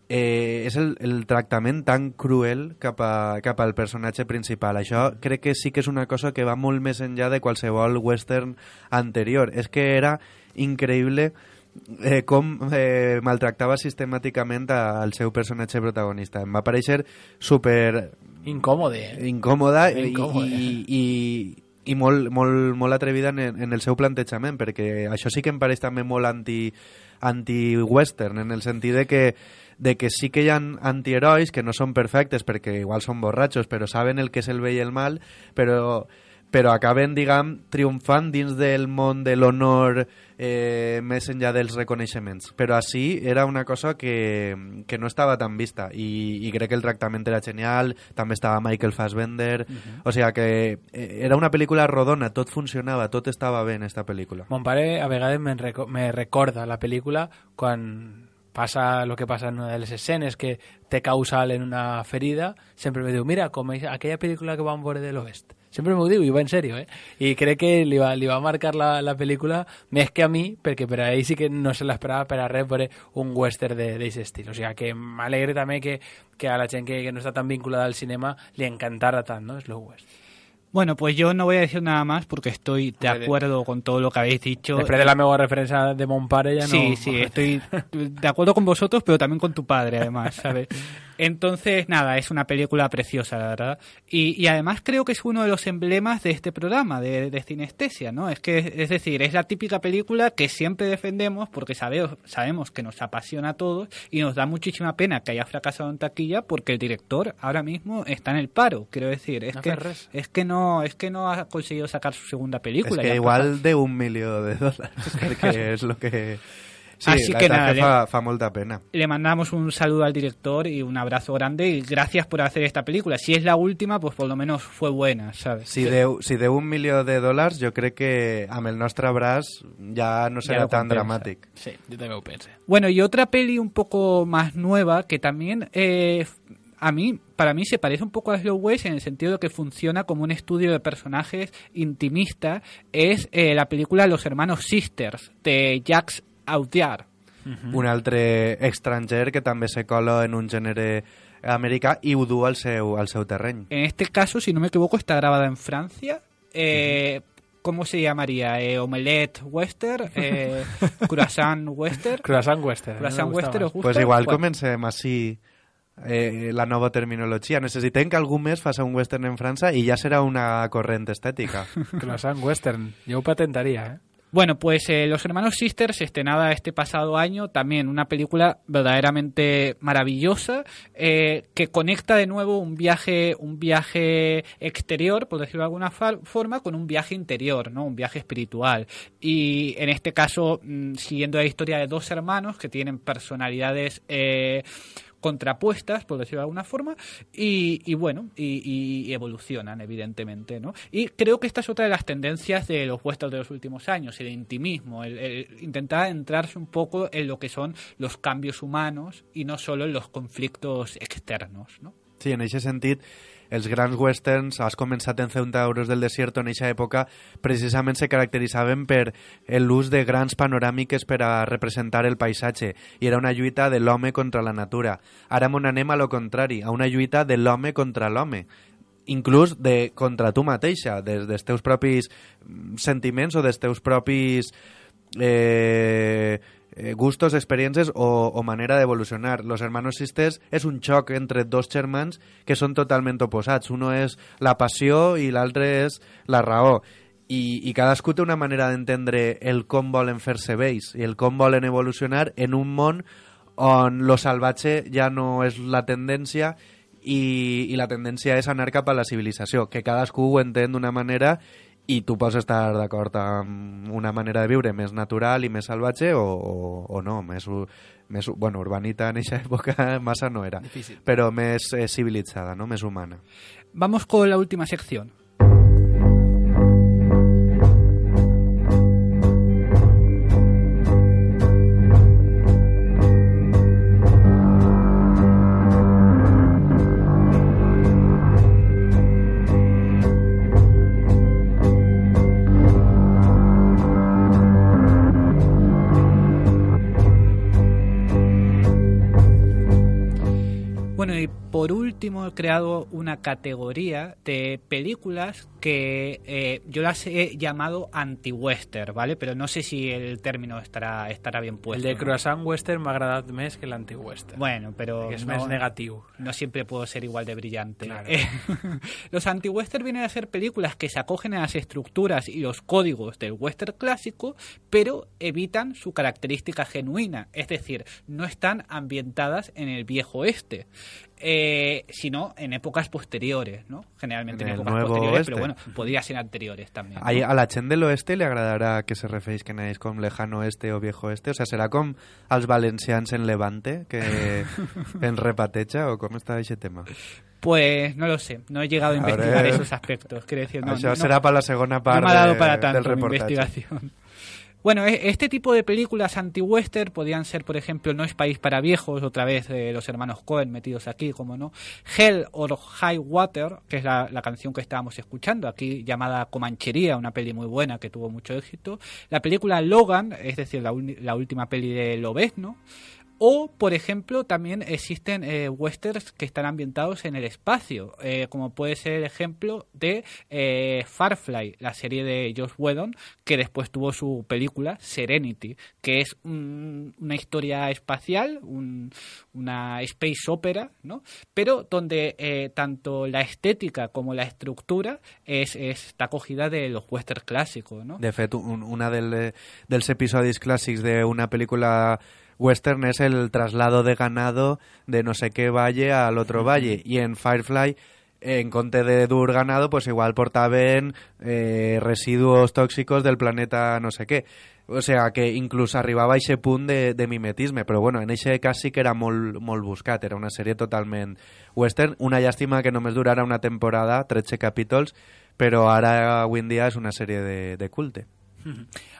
Eh, és el, el tractament tan cruel cap, a, cap al personatge principal. Això crec que sí que és una cosa que va molt més enllà de qualsevol western anterior. És que era increïble eh, com eh, maltractava sistemàticament al seu personatge protagonista. Em va parèixer super... Incòmode. Eh? Incòmoda i, Incòmode. i, i, i molt, molt, molt atrevida en, en el seu plantejament, perquè això sí que em pareix també molt anti, anti-western, en el sentit de que de que sí que hi ha antiherois que no són perfectes perquè igual són borratxos, però saben el que és el bé i el mal, però, però acaben, diguem, triomfant dins del món de l'honor eh, més enllà dels reconeixements. Però així era una cosa que, que no estava tan vista i, i crec que el tractament era genial, també estava Michael Fassbender, uh-huh. o sigui que era una pel·lícula rodona, tot funcionava, tot estava bé en esta pel·lícula. Mon pare a vegades me, reco- me recorda la pel·lícula quan passa el que passa en una de les escenes que té causal en una ferida, sempre me diu, mira, com aquella pel·lícula que vam veure de l'Oest. Sempre m'ho diu, i va en sèrio, eh? I crec que li va, li va marcar la, la pel·lícula més que a mi, perquè per a ell sí que no se l'esperava per a res veure un western d'aquest estil. O sigui que m'alegre també que, que a la gent que, que no està tan vinculada al cinema li encantara tant, ¿no? Slow West. Bueno, pues yo no voy a decir nada más porque estoy de acuerdo con todo lo que habéis dicho. Después de la meva referencia de mon pare ya no... Sí, sí, estoy de acuerdo con vosotros, pero también con tu padre, además, ¿sabes? Entonces, nada, es una película preciosa, la verdad. Y, y además creo que es uno de los emblemas de este programa, de, de Cinestesia, ¿no? Es que, es decir, es la típica película que siempre defendemos porque sabemos, sabemos que nos apasiona a todos y nos da muchísima pena que haya fracasado en taquilla porque el director ahora mismo está en el paro, quiero decir. Es, no que, es, que, no, es que no ha conseguido sacar su segunda película. Es que igual de un millón de dólares, porque es lo que... Sí, Así la que nada, fa, fa molta pena. Le mandamos un saludo al director y un abrazo grande y gracias por hacer esta película. Si es la última, pues por lo menos fue buena, ¿sabes? Si deu, si deu un milió de dòlars, jo crec que amb el nostre braç ja no serà ja tan dramàtic. Sí, yo también lo pensé. Bueno, y otra peli un poco más nueva que también... Eh, a mí, para mí se parece un poco a Slow West en el sentido de que funciona como un estudio de personajes intimista, es eh, la película Los Hermanos Sisters, de Jacques Audiard. Uh-huh. Un altre estranger que també se cola en un gènere americà i ho du al seu, al seu terreny. En este caso, si no me equivoco, está grabada en Francia. Eh, uh-huh. ¿Cómo se llamaría? Eh, ¿Omelette Western? Eh, ¿Croissant Western? Croissant Western. ¿Croissant Western os gusta? Pues igual bueno. comencem així eh, la nova terminologia. Necessitem que algú més faci un western en França i ja serà una corrent estètica. Croissant Western. Jo ho patentaria, eh? Bueno, pues eh, Los Hermanos Sisters, estrenada este pasado año, también una película verdaderamente maravillosa, eh, que conecta de nuevo un viaje un viaje exterior, por decirlo de alguna fa- forma, con un viaje interior, ¿no? Un viaje espiritual. Y en este caso, mmm, siguiendo la historia de dos hermanos que tienen personalidades eh, contrapuestas, por decirlo de alguna forma, y, y bueno, y, y evolucionan, evidentemente, ¿no? Y creo que esta es otra de las tendencias de los westerns de los últimos años, el intimismo, el, el intentar entrarse un poco en lo que son los cambios humanos y no solo en los conflictos externos, ¿no? Sí, en aquest sentit, els grans westerns, has començat en Centauros del Desierto en aquesta època, precisament se caracteritzaven per l'ús de grans panoràmiques per a representar el paisatge, i era una lluita de l'home contra la natura. Ara m'on anem a lo contrari, a una lluita de l'home contra l'home, inclús de contra tu mateixa, des dels teus propis sentiments o dels teus propis eh, gustos, experiències o, o manera d'evolucionar. Los Hermanos Sisters és un xoc entre dos germans que són totalment oposats. Uno és la passió i l'altre és la raó. I, i cadascú té una manera d'entendre el com volen fer-se vells i el com volen evolucionar en un món on lo salvatge ja no és la tendència i, i la tendència és anar cap a la civilització, que cadascú ho entén d'una manera i tu pots estar d'acord amb una manera de viure més natural i més salvatge o, o, o no, més, més bueno, urbanita en aquesta època massa no era, difícil, però més eh, civilitzada, ¿no? Més humana. Vamos con la última sección. Bueno, y por último he creado una categoría de películas que eh, yo las he llamado anti-western, ¿vale? Pero no sé si el término estará estará bien puesto. El de ¿no? croissant western m'ha agradat més que l'anti-western. Bueno, pero és no, més negatiu. No siempre puedo ser igual de brillante. Claro. Eh, los anti-western vienen a ser películas que se acogen a las estructuras y los códigos del western clásico, pero evitan su característica genuina, es decir, no están ambientadas en el viejo oeste. Eh, sino en épocas posteriores, ¿no? Generalmente en, en épocas posteriores, oeste. Pero bueno, podría ser anteriores también, ¿no? A la gent de l'oeste li agradarà que se referisquen a ells com lejano oeste o viejo oeste? O sea, serà com els valencians en Levante, que en repateja, o com està aquest tema? Pues no lo sé, no he llegado a investigar Ahora, esos aspectos. Quiero decir, no, això no, serà no, per la segona part no me ha dado para de, tanto del reportatge. Investigación. Bueno, este tipo de películas anti-western podían ser, por ejemplo, No es país para viejos, otra vez eh, los hermanos Coen metidos aquí, como no, Hell or High Water, que es la, la canción que estábamos escuchando, aquí llamada Comanchería, una peli muy buena que tuvo mucho éxito, la película Logan, es decir, la, la última peli de Lobezno, o, por ejemplo, también existen eh, westerns que están ambientados en el espacio, eh, como puede ser el ejemplo de eh, Firefly, la serie de Joss Whedon, que después tuvo su película Serenity, que es un, una historia espacial, un, una space opera, ¿no? Pero donde eh, tanto la estética como la estructura es, es, está cogida de los westerns clásicos, ¿no? De fet, un, una del, dels episodis clàssics d'una pel·lícula western és el traslado de ganado de no sé qué valle al otro valle, y en Firefly en compte de dur ganado pues igual portaven eh, residuos tóxicos del planeta no sé què, o sea que inclús arribava a aquest punt de, de mimetisme, però bueno, en aquest cas sí que era molt, molt buscat, era una sèrie totalment western, una llàstima que només durara una temporada, tretze capítols, però ara avui en dia és una sèrie de, de culte.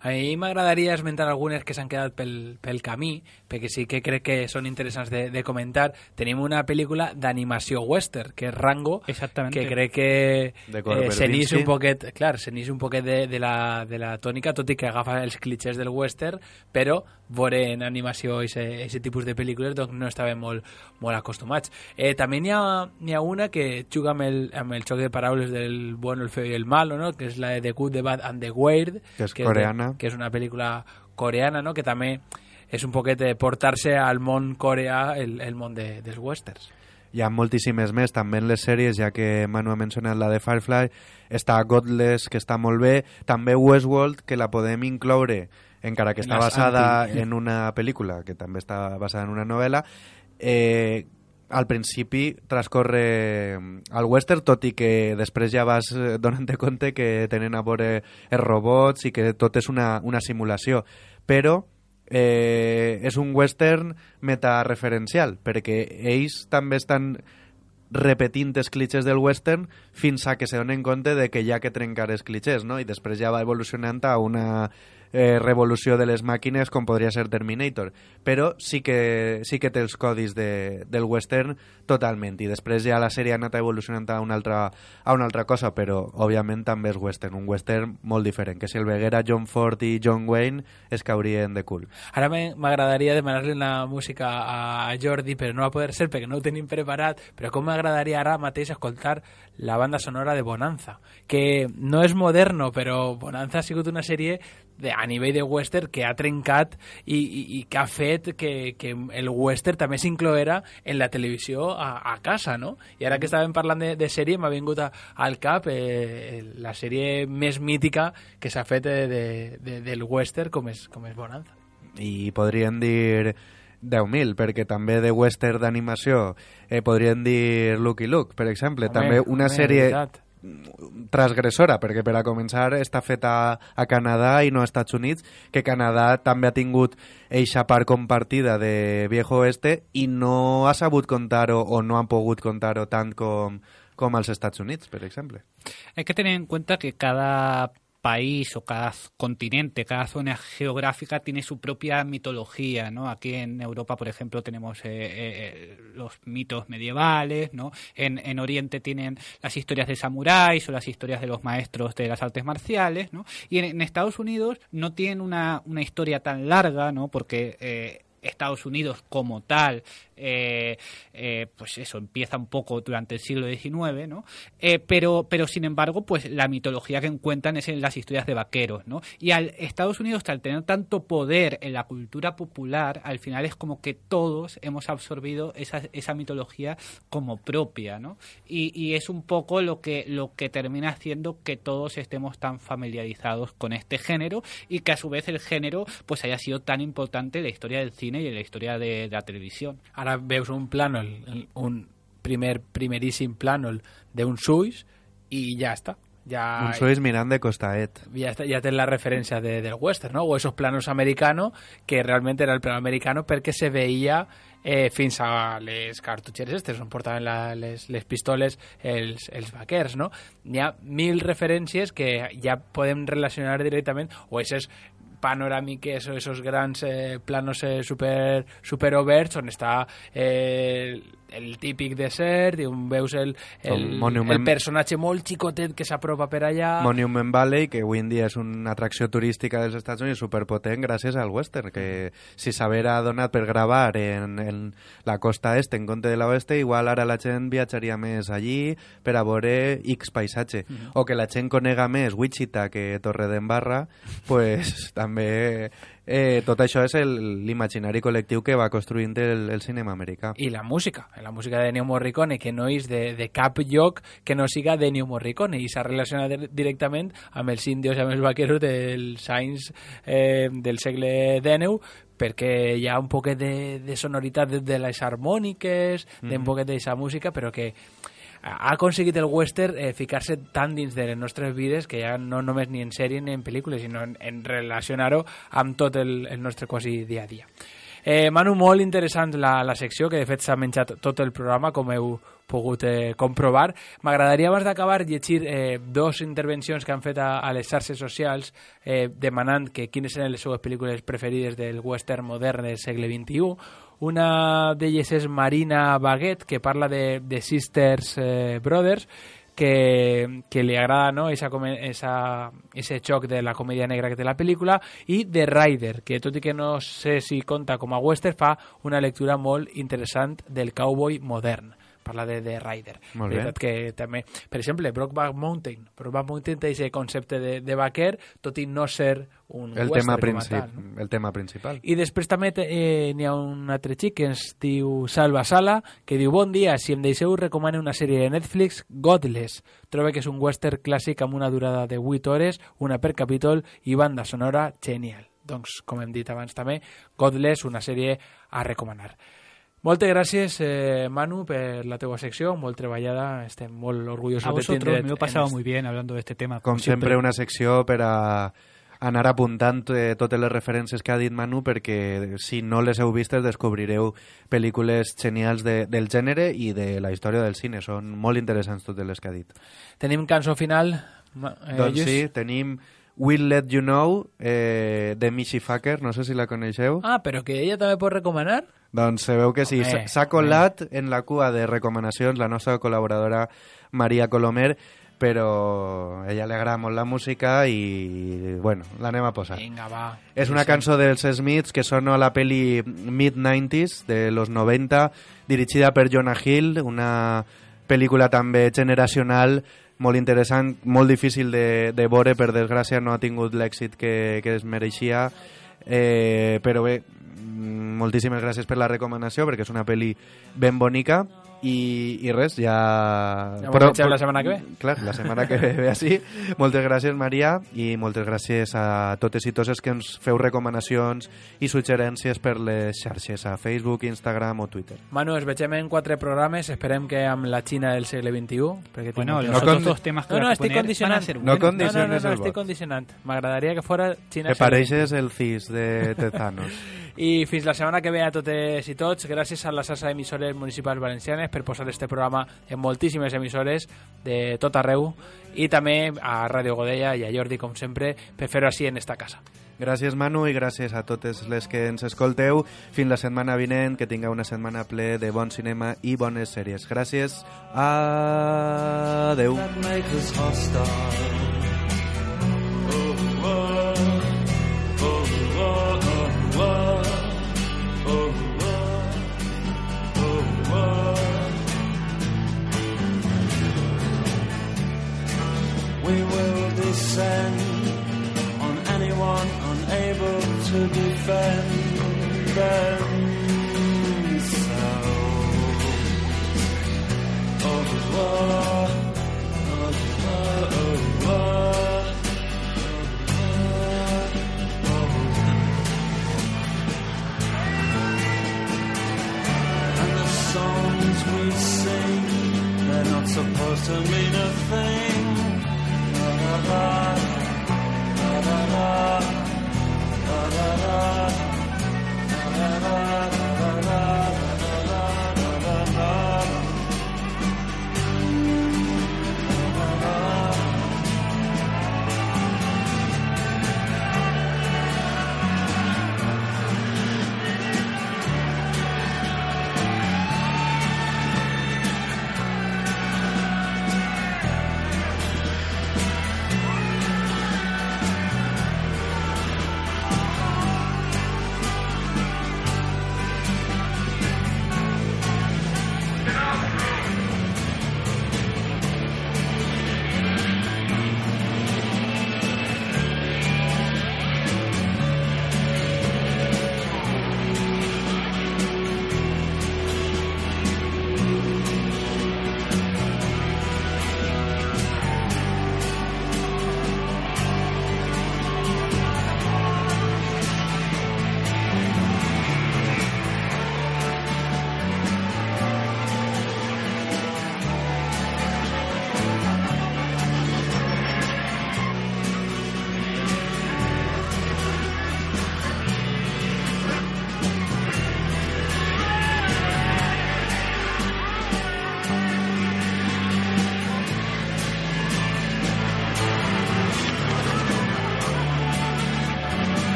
A mi m'agradaria esmentar algunes que s'han quedat pel, pel camí, perquè sí que crec que són interessants de, de comentar. Tenim una pel·lícula d'animació western, que és Rango, que crec que eh, s'enix un poquet, clar, s'enix un poquet de, de, la, de la tònica, tot i que agafa els clichés del western, però veure en animació aquest tipus de pel·lícules doncs no estàvem molt, molt acostumats. Eh, també n'hi ha, n'hi ha una que juga amb el, amb el xoc de paraules del bueno, el feo i el malo, no? Que és la de The Good, The Bad and The Weird, que és que coreana. És de, que és una pel·lícula coreana, no? Que també és un poquet de portar-se al món coreà el, el món de, dels westerns. hi ha moltíssimes més, també en les sèries, ja que Manu ha mencionat la de Firefly, està Godless, que està molt bé, també Westworld, que la podem incloure, encara que està basada anti... en una pel·lícula, que també està basada en una novel·la, eh, al principi transcorre al western, tot i que després ja vas donant-te compte que tenen a veure els robots i que tot és una, una simulació. Però eh, és un western metareferencial, perquè ells també estan repetint els clitxers del western fins a que se donen compte de que hi ha que trencar els clitxers, no? I després ja va evolucionant a una eh, revolució de les màquines com podria ser Terminator, però sí que, sí que té els codis de, del western totalment, i després ja la sèrie ha anat evolucionant a una altra, a una altra cosa, però òbviament també és western, un western molt diferent, que si el veguera John Ford i John Wayne es caurien de cul. Ara m'agradaria demanar-li una música a Jordi, però no va poder ser perquè no ho tenim preparat, però com m'agradaria ara mateix escoltar la banda sonora de Bonanza, que no és moderno, però Bonanza ha sigut una sèrie de, a nivell de western que ha trencat i, i, i que ha fet que, que el western també s'incloera en la televisió a, a casa, no? I ara que estàvem parlant de, de sèrie m'ha vingut a, al cap eh, la sèrie més mítica que s'ha fet de, de, de, del western com és, com és Bonanza. I podríem dir deu mil, perquè també de western d'animació eh, podríem dir Lucky Luke, per exemple. Home, també una home, sèrie veritat. transgressora, perquè per a començar està feta a Canadà i no als Estats Units, que Canadà també ha tingut eixa part compartida de Viejo Oeste i no ha sabut contar-ho o no han pogut contar-ho tant com, com als Estats Units, per exemple. Hay que tener en cuenta que cada país o cada continente, cada zona geográfica tiene su propia mitología, ¿no? Aquí en Europa, por ejemplo, tenemos eh, eh, los mitos medievales, ¿no? En, en Oriente tienen las historias de samuráis o las historias de los maestros de las artes marciales, ¿no? Y en, en Estados Unidos no tienen una, una historia tan larga, ¿no? Porque eh, Estados Unidos como tal, eh, eh, pues eso, empieza un poco durante el siglo diecinueve, ¿no? Eh, pero, pero sin embargo, pues la mitología que encuentran es en las historias de vaqueros, ¿no? Y al Estados Unidos, al tener tanto poder en la cultura popular, al final es como que todos hemos absorbido esa, esa mitología como propia, ¿no? Y, y es un poco lo que, lo que termina haciendo que todos estemos tan familiarizados con este género y que a su vez el género pues haya sido tan importante en la historia del cine y en la historia de, de la televisión. Ara veus un plànol, un primer primeríssim plànol d'un Suis i ja està. Ja, un Suis mirant de costaet. Ja, està, ja té la referència de, del western, no? O esos planos americano, que realment era el plano americano perquè se veia eh, fins a les cartutxeres estes on portaven la, les, les pistoles els, els vaquers, no? Hi ha mil referències que ja podem relacionar directament, o esos panoràmiques o esos grans eh, planos eh, super, super oberts on està eh, el típic desert i on veus el, el, el personatge molt xicotet que s'apropa per allà. Monument Valley, que avui en dia és una atracció turística dels Estats Units superpotent gràcies al western, que si s'haguera donat per gravar en, en la costa est en compte de l'oeste, igual ara la gent viatjaria més allí per a veure X paisatge. Mm-hmm. O que la gent conega més Wichita que Torredembarra, pues també eh, tot això és l'imaginari col·lectiu que va construint el, el cinema americà. I la música, la música de Ennio Morricone, que no és de, de cap lloc que no siga d'Ennio Morricone, i s'ha relacionat directament amb els índios i amb els vaqueros dels anys eh, del segle dènou, perquè hi ha un poquet de, de sonoritat de, de les harmòniques, mm-hmm. d'un poquet d'aquesta música, però que ha aconseguit el western eh, ficar-se tan dins de les nostres vides que ja no només ni en sèrie ni en pel·lícules, sinó en, en relacionar-ho amb tot el, el nostre quasi dia a dia. Eh, Manu, molt interessant la, la secció, que de fet s'ha menjat tot el programa, com heu pogut eh, comprovar. M'agradaria abans d'acabar llegir eh, dos intervencions que han fet a, a les xarxes socials eh, demanant que quines eren les seues pel·lícules preferides del western modern del segle vint-i-u. Una d'elles és Marina Baguet, que parla de, de Sisters eh, Brothers, que, que li agrada, no?, esa, esa, ese xoc de la comèdia negra que té la pel·lícula, i The Rider, que tot i que no sé si compta com a western, fa una lectura molt interessant del cowboy modern. parla de The Rider. Molt bé. Veritat que també, per exemple, Brokeback Mountain. Brokeback Mountain té aquest concepte de, de vaquer, tot i no ser un el western tema, com a princip tal, no? el tema principal. I després també eh, n'hi ha un altre xic que es diu Salva Sala, que diu: bon dia, si em deixeu recomane una sèrie de Netflix, Godless. Trobo que és un western clàssic amb una durada de vuit hores, una per capítol i banda sonora genial. Doncs, com hem dit abans també, Godless, una sèrie a recomanar. Moltes gràcies, eh, Manu, per la teua secció, molt treballada, estem molt orgullosos a de tindre... vosotros, me lo he pasado muy bien hablando de este tema. Com sempre, una secció per a anar apuntant eh, totes les referències que ha dit Manu, perquè si no les heu vistes descobrireu pel·lícules genials de, del gènere i de la història del cine. Són molt interessants totes les que ha dit. Tenim cançó final? Eh, doncs Lluís? sí, tenim We'll Let You Know, eh, de Michi Facker, no sé si la coneixeu. Ah, però que ella també pot recomanar? Doncs sabeu que sí, Home, s'ha colat en la cua de recomanacions la nostra col·laboradora Maria Colomer, però a ella li agrada molt la música i, bueno, l'anem a posar. Vinga, va. És una cançó dels Smiths que sona a la peli mid-nineties, de los noventa, dirigida per Jonah Hill, una pel·lícula també generacional, molt interessant, molt difícil de, de veure, per desgràcia no ha tingut l'èxit que, que es mereixia, eh, però bé, moltíssimes gràcies per la recomanació, perquè és una pel·li ben bonica. I, i res, ja... Ja però, però, la setmana que ve. Clar, la setmana que ve, ve així. Moltes gràcies, Maria, i moltes gràcies a totes i tots els que ens feu recomanacions i suggerències per les xarxes, a Facebook, Instagram o Twitter. Manu, ens vegem en quatre programes, esperem que amb la Xina del segle veintiú. Perquè bueno, los no otros dos temas que no, no, estic condicionant. No condiciones no, no, no, no, el estic vot. condicionant. M'agradaria que fora Xina. Que pareixes el cis de Tezanos. I fins la setmana que ve a totes i tots, gràcies a la xarxa d'emissores municipals valencianes per posar este programa en moltíssimes emissores de tot arreu, i també a Ràdio Godella i a Jordi, com sempre, per fer-ho així en esta casa. Gràcies, Manu, i gràcies a totes les que ens escolteu. Fins la setmana vinent, que tingueu una setmana ple de bon cinema i bones sèries. Gràcies. Adeu. We will descend on anyone unable to defend themselves. Oh, oh, oh, oh, oh, and the songs we sing, they're not supposed to mean a thing. Da da da da da da da da da da da.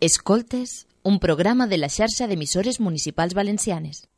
Escoltes, un programa de la xarxa d'emissores municipals valencianes.